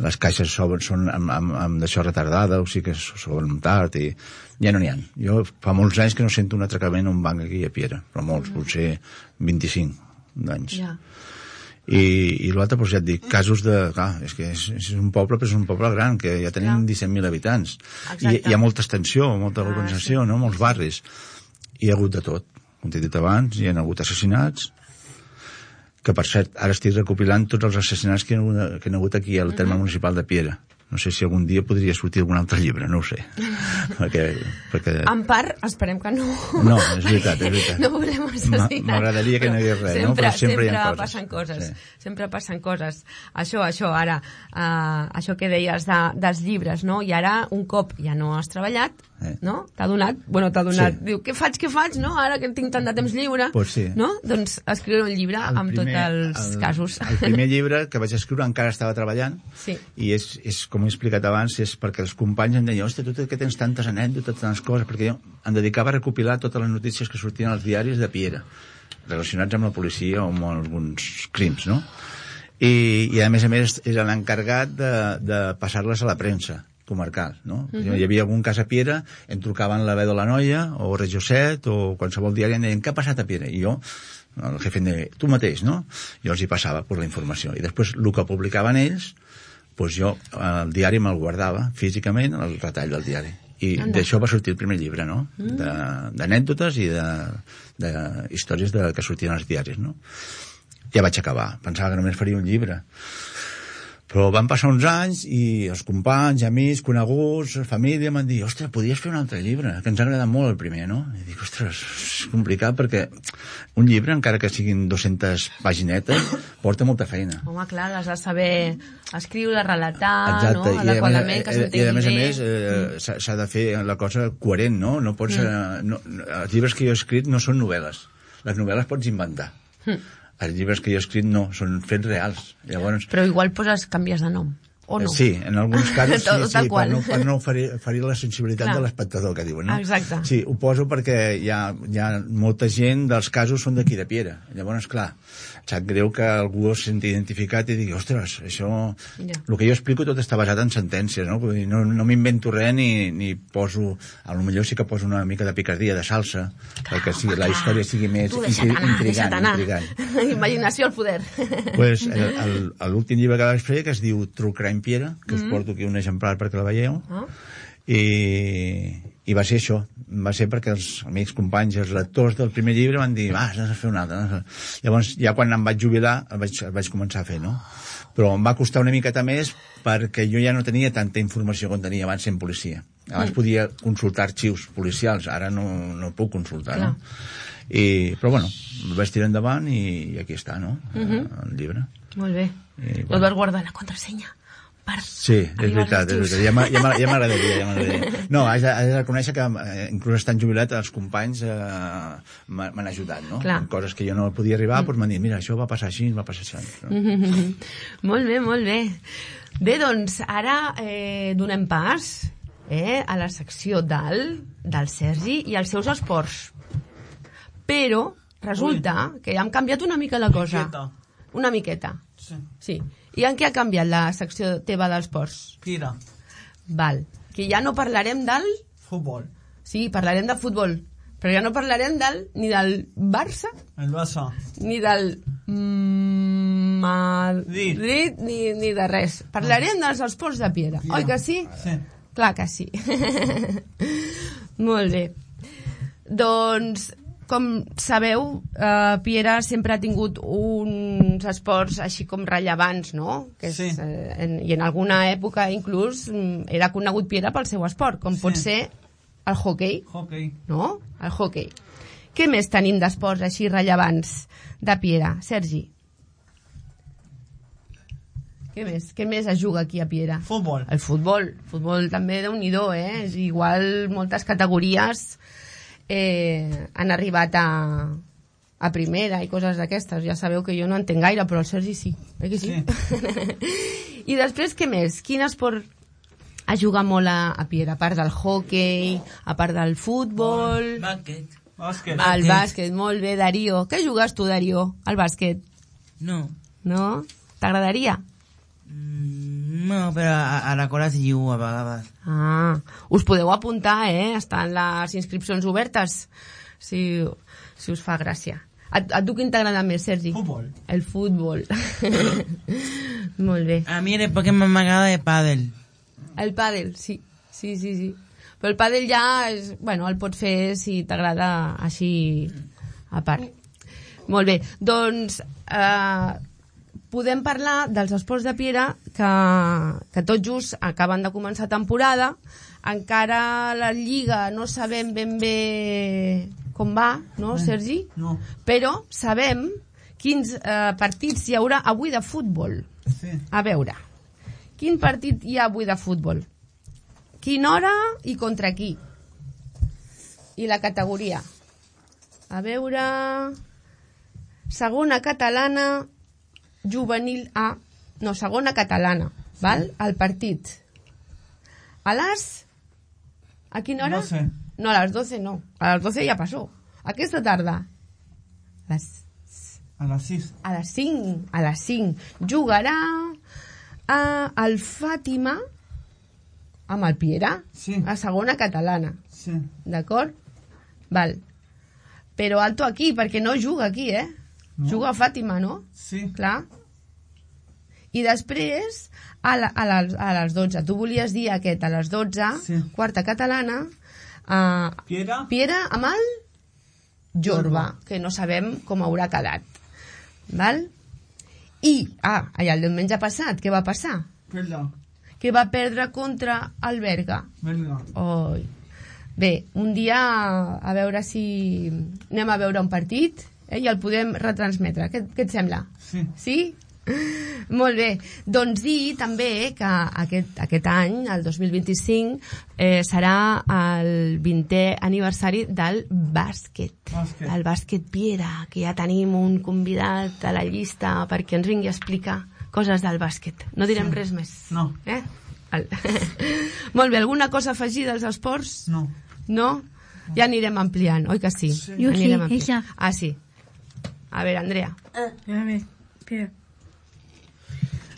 les caixes són amb d'això retardada, o sigui que s'obren tard, i ja no n'hi ha. Jo fa molts anys que no sento un atracament a un banc aquí a Piera, però molts, potser 25 anys. Ja. I l'altre, doncs ja et dic, casos de... Clar, és que és un poble, però és un poble gran, que ja tenim 17.000 habitants. I hi ha molta extensió, molta organització, no? Molts barris. I hi ha hagut de tot. Com t'he dit abans, hi ha hagut assassinats, que per cert, ara estic recopilant tots els assassinats que hi ha hagut aquí al terme municipal de Piera. No sé si algun dia podria sortir algun altre llibre, no ho sé. perquè... En part, esperem que no. No, és veritat. No volem assassinar. M'agradaria que no hi hagués res, no? Però sempre hi ha coses. Passen coses. Sí. Sempre passen coses. Això, ara, això que deies dels llibres, no? I ara, un cop ja no has treballat, no? T'ha donat, sí. Diu, què faig, no? Ara que tinc tant de temps lliure, pues sí. No? Doncs escriure un llibre amb tots els casos. El primer llibre que vaig escriure encara estava treballant, i és com he explicat abans, és perquè els companys em deien, hòstia, tu que tens tantes anècdotes, tantes coses, perquè jo em dedicava a recopilar totes les notícies que sortien als diaris de Piera, relacionats amb la policia o amb alguns crims, no? I a més era l'encarregat de passar-les a la premsa comarcal, no? Hi havia algun cas a Piera, em trucaven la Veu de la Noia, o Regió 7, o qualsevol diari, em deien, què ha passat a Piera? I jo, el jefe em deia, tu mateix, no? Jo els hi passava per la informació. I després, el que publicaven ells, doncs jo, el diari me'l guardava físicament, el retall del diari. I d'això va sortir el primer llibre, no? D'anècdotes i de històries que sortien als diaris, no? Ja vaig acabar. Pensava que només faria un llibre. Però van passar uns anys i els companys, amics, coneguts, família, m'han dit, ostres, podies fer un altre llibre, que ens ha agradat molt el primer, no? I dic, ostres, és complicat perquè un llibre, encara que siguin 200 paginetes, porta molta feina. Home, clar, has de saber escriure, relatar, no? Adequadament, que s'entengui bé. I a més, s'ha de fer la cosa coherent, no? No pots... Els llibres que jo he escrit no són novel·les. Les novel·les pots inventar. Els llibres que jo he escrit no, són fets reals. Llavors, però igual canvies de nom, o no? Sí, en alguns casos sí, per no ferir la sensibilitat de l'espectador, que diuen, no? Exacte. Sí, ho poso perquè hi ha molta gent dels casos són d'aquí de Piera. Llavors, clar, sap greu que algú es senti identificat i digui, ostres, això... El que jo explico tot està basat en sentències, no? No m'invento res ni poso... A lo millor sí que poso una mica de picardia, de salsa, perquè la història sigui més intrigant. Imaginació al poder. Pues l'últim llibre que vaig fer, que es diu True Crime Piera, que us porto aquí un exemplar perquè la veieu, i va ser això, va ser perquè els amics, companys, els lectors del primer llibre van dir, has de fer un altre. Llavors, ja quan em vaig jubilar, el vaig començar a fer, no? Però em va costar una miqueta més perquè jo ja no tenia tanta informació com tenia abans sent policia. Abans podia consultar arxius policials, ara no puc consultar, no? Però bueno, el vaig tirar endavant i aquí està, no? El llibre. Molt bé. No vas guardar la contrasenya? Sí, és veritat. Ja m'agradaria. No, haig de reconèixer que inclús estant jubilat els companys m'han ajudat, no? Coses que jo no podia arribar, doncs m'han dit, mira, això va passar així, va passar això. Molt bé, molt bé. Bé, doncs ara donem pas a la secció del Sergi i els seus esports. Però resulta que ja hem canviat una mica la cosa. Una miqueta. Sí. I en què ha canviat la secció teva dels esports? Piera. Val. Que ja no parlarem del... Futbol. Sí, parlarem de futbol. Però ja no parlarem ni del Barça... El Barça. Ni del... Madrid, ni de res. Parlarem dels esports de Piera. Oi que sí? Sí. Clar que sí. Molt bé. Doncs, com sabeu, Piera sempre ha tingut uns esports així com rellevants, no? Que és, I en alguna època inclús era conegut Piera pel seu esport, com pot ser el hoquei. No? El hoquei. Què més tenim d'esports així rellevants de Piera? Sergi? Què més es juga aquí a Piera? Futbol. El futbol. Futbol també Déu-n'hi-do, És igual moltes categories han arribat a primera i coses d'aquestes. Ja sabeu que jo no entenc gaire, però el Sergi sí. Eh que sí? I després, què més? Quin esport es juga molt a Piera? A part del hoquei, a part del futbol... Bàsquet. El bàsquet, molt bé, Darío. Què jugues tu, Darío, al bàsquet? No. No? T'agradaria? No, però a la cola s'hi jugo a vegades. Us podeu apuntar, estan les inscripcions obertes, si us fa gràcia. A tu quin t'agrada més, Sergi? Futbol. El futbol. Molt bé. A mi el Pokémon m'agrada de pàdel. El pàdel, sí. Però el pàdel ja el pots fer si t'agrada així a part. Molt bé, doncs podem parlar dels esports de Piera que tot just acaben de començar temporada. Encara la Lliga no sabem ben bé com va, no, Sergi? No. Però sabem quins partits hi haurà avui de futbol. Sí. A veure, quin partit hi ha avui de futbol? Quina hora i contra qui? I la categoria? A veure... Segona catalana, juvenil A... No, segona catalana, val? El partit. A quina hora? 12. No, a les 12 no. A les 12 ja passó. Aquesta tarda. A les 6. A les 5. A les 5. Jugarà el Fàtima amb el Piera. Sí. A segona catalana. Sí. D'acord? Val. Però alto aquí, perquè no juga aquí, No. Juga a Fàtima, no? Sí. Clar. I després, a les 12. Tu volies dir aquest, a les 12, sí. Quarta catalana, Piera amb el Jorba, que no sabem com haurà quedat. Val? I, el diumenge passat, què va passar? Que va perdre contra el Berga. Oi. Bé, un dia a veure si anem a veure un partit i el podem retransmetre. Què et sembla? Sí? Molt bé. Doncs dir també que aquest any, el 2025, serà el 20è aniversari del bàsquet. El bàsquet Piera, que ja tenim un convidat a la llista perquè ens vingui a explicar coses del bàsquet. No direm res més. No. Molt bé, alguna cosa a afegir dels esports? No. No? Ja anirem ampliant, oi que sí? Jo sí, això. Sí. A veure, Andrea. A veure, espera.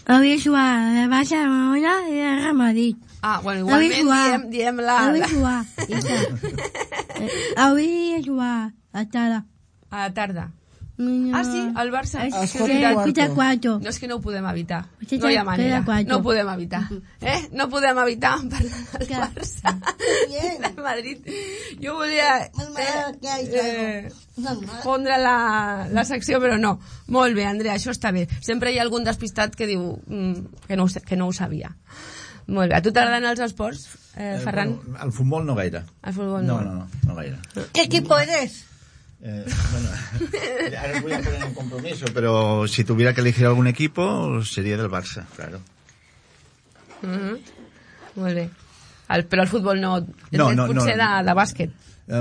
Avui jugar a la Barcelona i a Real Madrid. Bueno, igualment diem la... Avui jugar a la tarda. A la tarda. Sí, el Barça. No, és que no ho podem evitar. No hi ha manera. No ho podem evitar. No podem evitar parlar del Barça. Del Madrid. Jo volia pondre la secció, però no. Molt bé, Andrea, això està bé. Sempre hi ha algun despistat que diu que no ho sabia. Molt bé. A tu t'agraden els esports, Ferran? El futbol no gaire. El futbol no. No gaire. ¿Qué equipo eres? Bueno, ahora voy a poner un compromiso, pero si tuviera que elegir algún equipo sería del Barça, claro. Molt bé. Però el futbol no. Potser de bàsquet.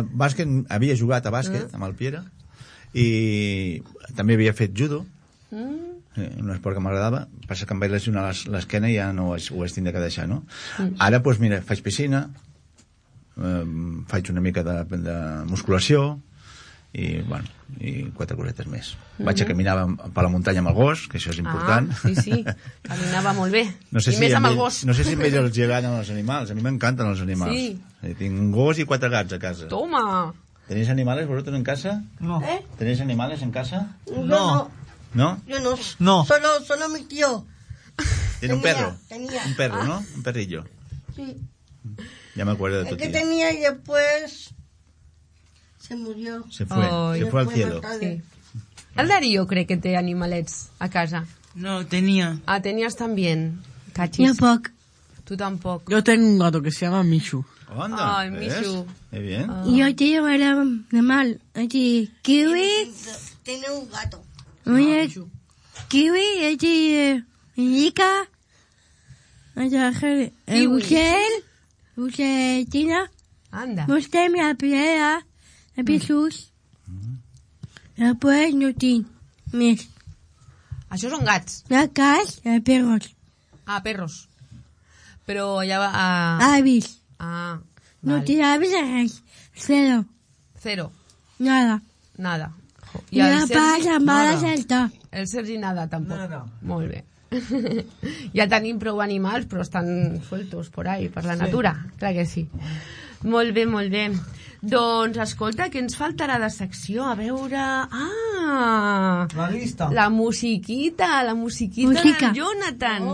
Bàsquet, havia jugat a bàsquet amb el Piera i també havia fet judo, un esport que m'agradava. Passa que em vaig lesionar l'esquena i ja no ho vaig tindre que deixar, no? Ara, doncs mira, faig piscina, faig una mica de musculació i, bueno, i 4 cosetes més. Vaig a caminar per la muntanya amb el gos, que això és important. Sí, caminava molt bé. No sé I més amb el gos. No sé si a ells els agraden els animals. A mi m'encanten els animals. Sí. Tinc un gos i 4 gats a casa. Toma! ¿Tenéis animales vosotros en casa? No. ¿Tenéis animales en casa? No. ¿No? Yo no. No. Solo mi tío. ¿Tiene un perro? Tenía. Un perro, ¿no? Un perrillo. Sí. Ya me acuerdo de tu El que tía. tenía y después se murió. Se fue al cielo. Sí. El Darío crec que té animalets a casa. No, tenía. Ah, tenías también. Cachis. Yo poc. Tú tampoco. Yo tengo un gato que se llama Mishu. Anda, Ay, ¿ves? Mishu. Qué bien. Yo tengo un animal. Aquí, kiwi. Tiene un gato. Oye, kiwi. Aquí, indica. El bucetina. Anda. Vostè la piedra. El pisos. Després no tinc més. Això són gats. La cas, el perros. Ah, perros. Però ja va... Avis. Ah, No vale. tinc avis a res. Cero. Cero. Nada. Nada. I la passa mal a saltar. El Sergi nada, tampoc. Nada. Molt bé. Ja tenim prou animals, però estan sueltos por ahí, per la natura. Clar que sí. Molt bé, molt bé. Doncs, escolta, què ens faltarà de secció? A veure... Ah! La llista. La musiquita Música. del Jonathan.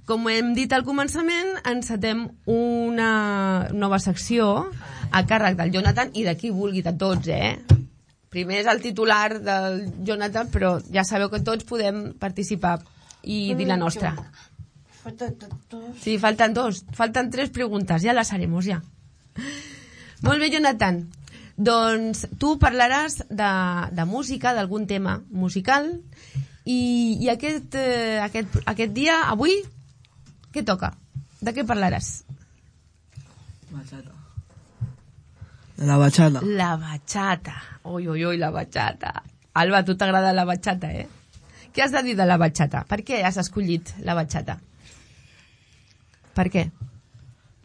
Com hem dit al començament, encetem una nova secció a càrrec del Jonathan i de qui vulgui, de tots, Primer és el titular del Jonathan, però ja sabeu que tots podem participar i dir la nostra. Sí, faltan dos. Faltan 3 preguntes, ja les haremos, ja. Molt bé, Jonathan. Doncs tu parlaràs de música, d'algun tema musical, i aquest dia, avui, què toca? De què parlaràs? Bachata. La bachata. La bachata. Ui, ui, ui, la bachata. Alba, a tu t'agrada la bachata, Què has de dir de la bachata? Per què has escollit la bachata? Per què?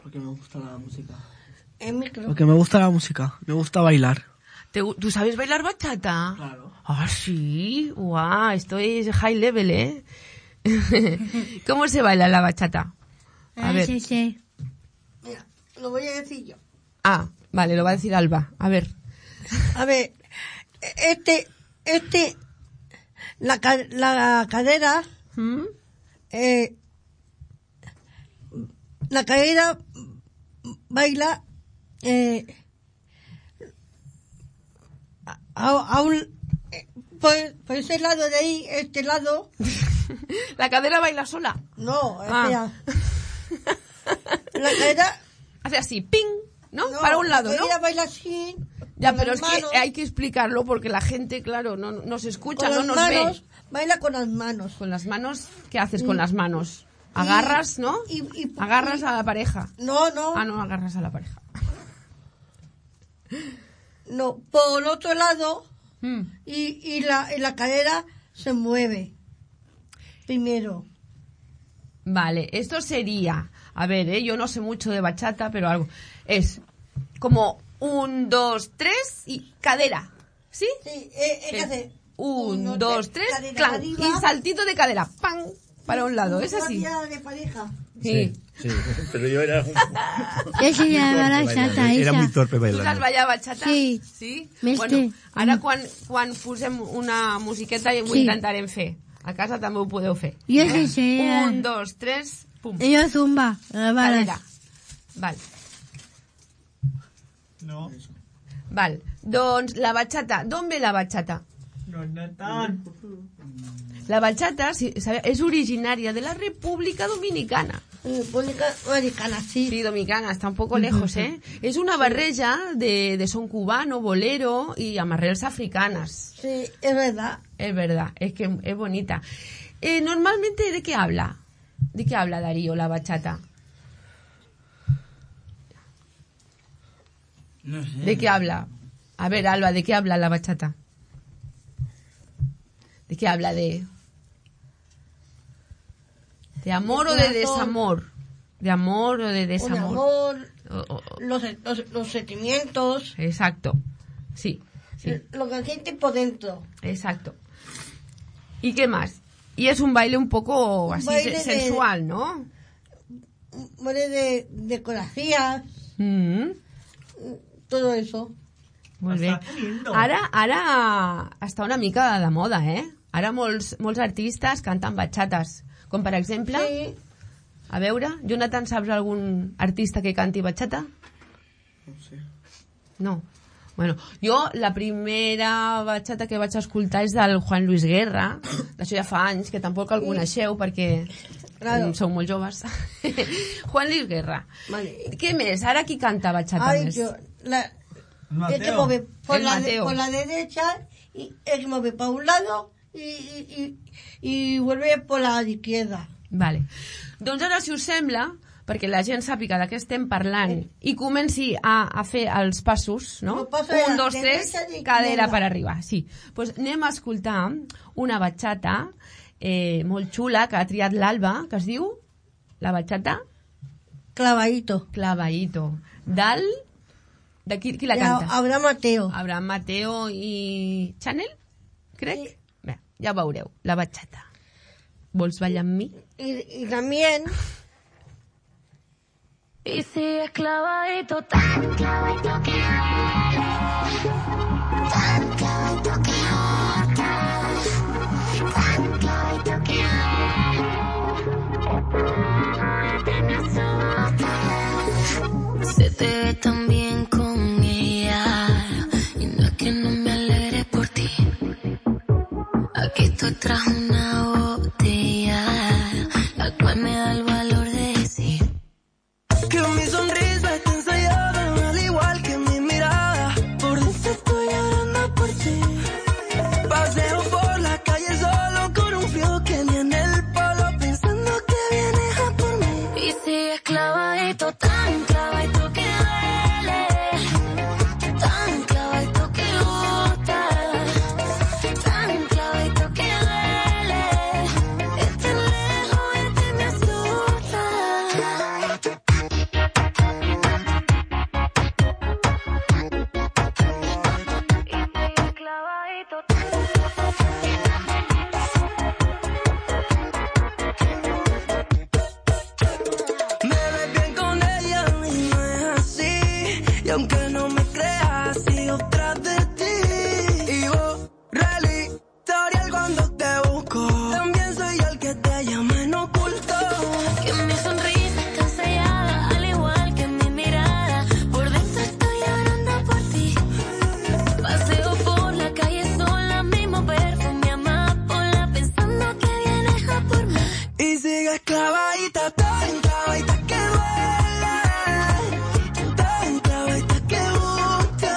Porque me gusta la música. El micro. Porque me gusta la música. Me gusta bailar. ¿Tú sabes bailar bachata? Claro. Ah, sí. Guau, esto es high level, ¿Cómo se baila la bachata? A ver. Sí. Mira, lo voy a decir yo. Ah, vale, lo va a decir Alba. A ver. A ver, la cadera, ¿Mm? la cadera baila por ese lado de ahí, este lado. ¿La cadera baila sola? No, Ah. espera. La cadera... Hace así, ping, ¿no? Para un lado, la ¿no? cadera baila así. Ya, con pero las es que manos, hay que explicarlo porque la gente, claro, no se escucha, con no las nos manos, ve. baila con las manos. Con las manos, ¿qué haces con las manos? Agarras, ¿no? Agarras a la pareja. No. Ah, no, agarras a la pareja. No, por el otro lado y la cadera se mueve. Primero. Vale, esto sería, a ver, yo no sé mucho de bachata, pero algo. Es como 1, 2, 3 y cadera, ¿sí? Sí, es que hace 1, 2, 3, cadera clan, arriba. y saltito de cadera, ¡pam! Para un lado, es así. De pareja. Sí. Sí, pero yo era Esa era la bachata, era muy esa. torpe Tu saps bailando. ballar bachata? Sí. Sí? Més Bueno, té. ara quan posem una musiqueta ho Sí. intentarem fer. A casa també ho podeu fer. Jo sí sé. 1, 2, 3, pum. Jo zumba. Cadera. Val. No. Val. Doncs la bachata. D'on ve la bachata? No tant. La bachata és originària de la República Dominicana. República Dominicana, sí. Sí, dominicana, está un poco lejos, Es una barreja de son cubano, bolero y amarreos africanas. Sí, es verdad. Es verdad, es que es bonita. Normalmente, ¿de qué habla? ¿De qué habla Darío la bachata? No sé. ¿De qué habla? A ver, Alba, ¿de qué habla la bachata? ¿De qué habla? ¿De amor o de desamor? ¿De amor o de desamor? Un amor, los sentimientos, Exacto. Sí, sí. lo que siente por dentro. Exacto. ¿Y qué más? Y es un baile un poco así baile sensual, ¿no? Muere de decoración, todo eso. Molt bé. Ara està una mica de moda, Ara molts artistes canten bachates. Com per exemple, A veure, Jonathan, saps algun artista que canti bachata? No sé. No. Bueno, jo la primera bachata que vaig escoltar és del Juan Luis Guerra, d'això ja fa anys, que tampoc el coneixeu perquè sou molt joves. Juan Luis Guerra. Vale. Què més? Ara qui canta bachata més? El que mueve por la derecha y el que mueve para un lado y vuelve por la izquierda. Vale. Doncs ara, si us sembla, perquè la gent sàpiga de què estem parlant i comenci a fer els passos, no? 1, 2, 3, cadera per arribar. Sí. Pues anem a escoltar una bachata molt xula que ha triat l'Alba, que es diu la bachata Clavadito. De qui la canta? Abraham Mateo i Chanel, crec. Sí. Bé, ja veureu, la bachata. Vols ballar amb mi? Y también... Y sigues clavadito, tan clavadito que tan clavadito que tan clavadito que se te ve tan bien con ella y no es que no me alegre por ti. Aquí estoy tras una botella, la cual me da el valor de decir que mi sonrisa está ensayada, al igual que mi mirada. Por dentro estoy llorando por ti. Paseo por la calle solo con un frío que ni en el polo, pensando que vienes a por mí. Y sigues clavadito, tan clavadito que duele, tan clavadito que gusta, tan clavadito que duele. Estar lejos de ti me asusta. Me ves bien con ella y no es así. Y aunque no me creas, sigo tras de ti. Y borré el historial cuando te busco. También soy yo el que te llama en oculto. Que mi sonrisa está ensayada, al igual que mi mirada. Por dentro estoy llorando por ti. Paseo por la calle sola, mismo perfume amapola, pensando que vienes a por mí. Y sigues clavadita, tan clavadita que duele, tan clavadita que gusta,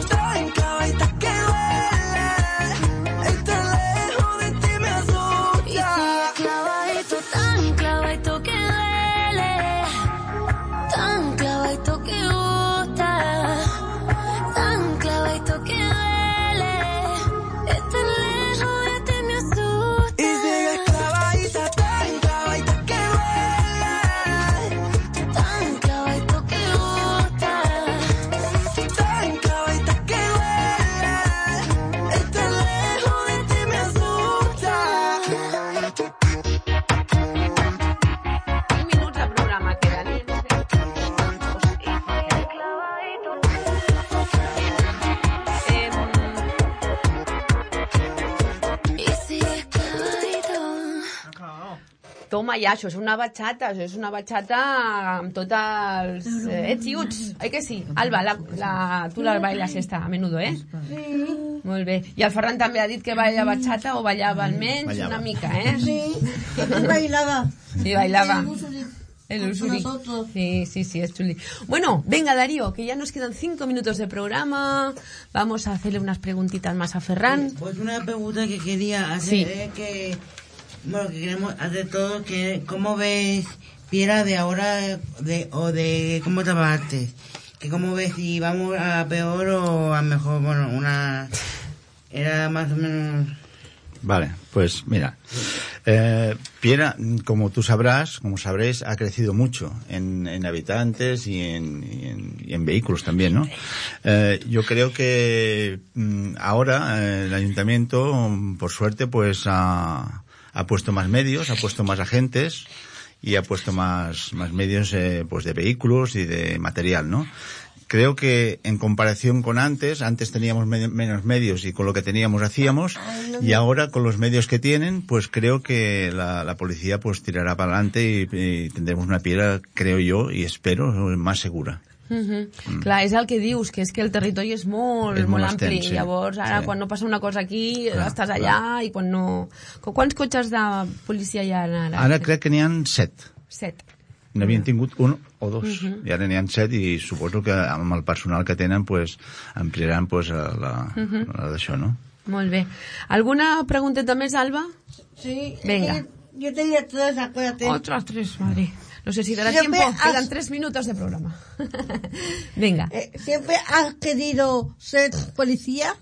tan clavadita que duele. Estar lejos de ti me asusta. Y sigues clavadito, tan clavadito que duele, tan clavadito que gusta, tan clavadito que duele. Estar lejos de ti me asusta. Y sigues clavadita, tan clavadita que duele, tan clavadito que gusta, tan clavadita que duele. Estar lejos de ti me asusta. 5 minuts de programa queden. Y sigues clavadito. Toma ja, això és una bachata amb tots els ets i uts, oi que sí? Alba, tu la bailes esta a menudo, eh? Sí. Molt bé. I el Ferran també ha dit que balla bachata o ballava almenys Ballava. una mica, eh? Sí. Bailaba. Y bailaba. El Usuri. nosotros. Sí, es chuli. Bueno, venga Darío, que ya nos quedan 5 minutos de programa. Vamos a hacerle unas preguntitas más a Ferran. Pues una pregunta que quería hacer Sí. es que, bueno, que queremos hacer todo, que ¿cómo ves Piera de ahora de cómo estaba antes? Que cómo ves si vamos a peor o a mejor, bueno, era más o menos... Vale, pues mira, Piera, como tú sabrás, como sabréis, ha crecido mucho en habitantes y en vehículos también, ¿no? Yo creo que ahora el ayuntamiento, por suerte, pues ha puesto más medios, ha puesto más agentes y ha puesto más medios pues de vehículos y de material, ¿no? creo que en comparación con antes teníamos menos medios y con lo que teníamos hacíamos, y ahora con los medios que tienen, pues creo que la policía pues tirará para adelante y tendremos una Piera, creo yo, y espero, más segura. Clar, és el que dius, que és que el territori és molt ampli, extens, llavors ara quan no passa una cosa aquí estàs allà i quan no... Quants cotxes de policia hi ha ara? Ara crec que n'hi ha 7. 7. N'havien tingut 1 o 2 i ara n'hi ha 7 i suposo que amb el personal que tenen pues, ampliaran pues, la d'això, no? Molt bé. Alguna pregunteta més, Alba? Sí. Venga. Yo tenía 3, acuérdate. Otras 3, madre. No sé si dará tiempo. Quedan 3 minutos de programa. Venga. ¿Siempre has querido ser policía?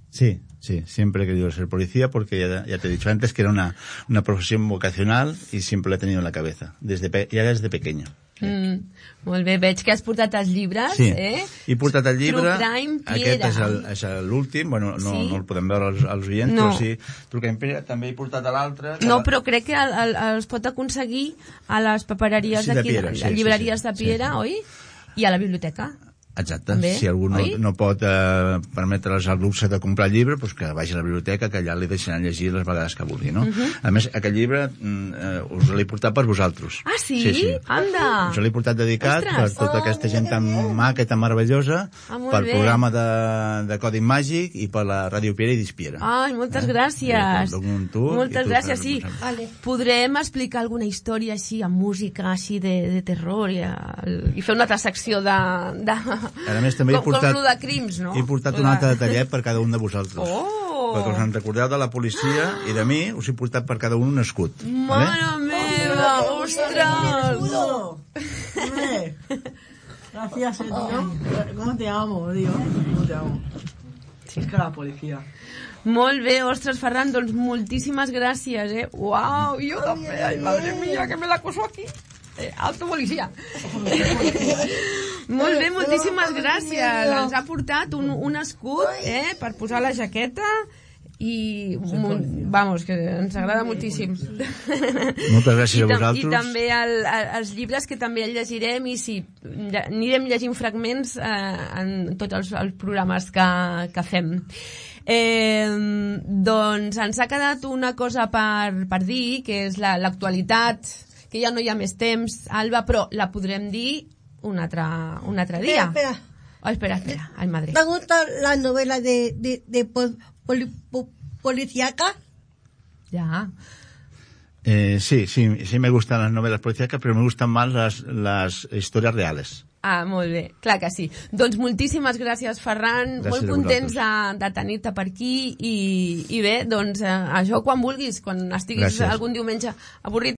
Sí, siempre he querido ser policía porque ya te he dicho antes que era una profesión vocacional y siempre la he tenido en la cabeza, desde pequeño. Molt bé, veig que has portat els llibres, sí. He portat el llibre, True Crime Piera. Aquest és l'últim, bueno, no el podem veure als oients, però sí, True Crime Piera, també he portat l'altre. No, però crec que els pot aconseguir a les papereries d'aquí, a les llibreries de Piera, oi? I a la biblioteca. Exacte, si algú no pot permetre's el luxe de comprar el llibre, doncs que vagi a la biblioteca, que allà li deixaran llegir les vegades que vulgui, no? A més, aquest llibre us l'he portat per vosaltres. Ah, sí? Anda! Us l'he portat dedicat per tota aquesta gent tan maca i tan meravellosa, pel programa de Codi Màgic i per la Ràdio Piera i Dispiera. Ai, moltes gràcies. Moltes gràcies, sí. Podrem explicar alguna història així, amb música així de terror i fer una altra secció de... A més, també com lo de crims, no? He portat un altre detallet per cada un de vosaltres. Perquè us en recordeu de la policia i de mi, us he portat per cada un escut. Mare meva, ostres! Gracias, tío. ¿Cómo te amo, tío? ¿Cómo te amo? Sí, es que la policía. Molt bé, ostres, Ferran, doncs moltíssimes gràcies, Uau, jo també, ai, madre mía, que me la coso aquí. Alto policia. Molt bé, moltíssimes gràcies. Ens ha portat un escut per posar la jaqueta i vamos, que ens agrada moltíssim. Moltes gràcies a vosaltres. I també els llibres que també llegirem i sí, anirem llegint fragments en tots els programes que fem. Doncs ens ha quedat una cosa per dir, que és l'actualitat, que ja no hi ha més temps, Alba, però la podrem dir un altre dia. Espera. Ay, madre. ¿Te gusta la novela de policíaca? Ya. Sí me gustan las novelas policíacas, pero me gustan más las historias reales. Ah, molt bé, clar que sí. Doncs moltíssimes gràcies, Ferran. Molt contents de tenir-te per aquí i bé, doncs això quan vulguis, quan estiguis algun diumenge avorrit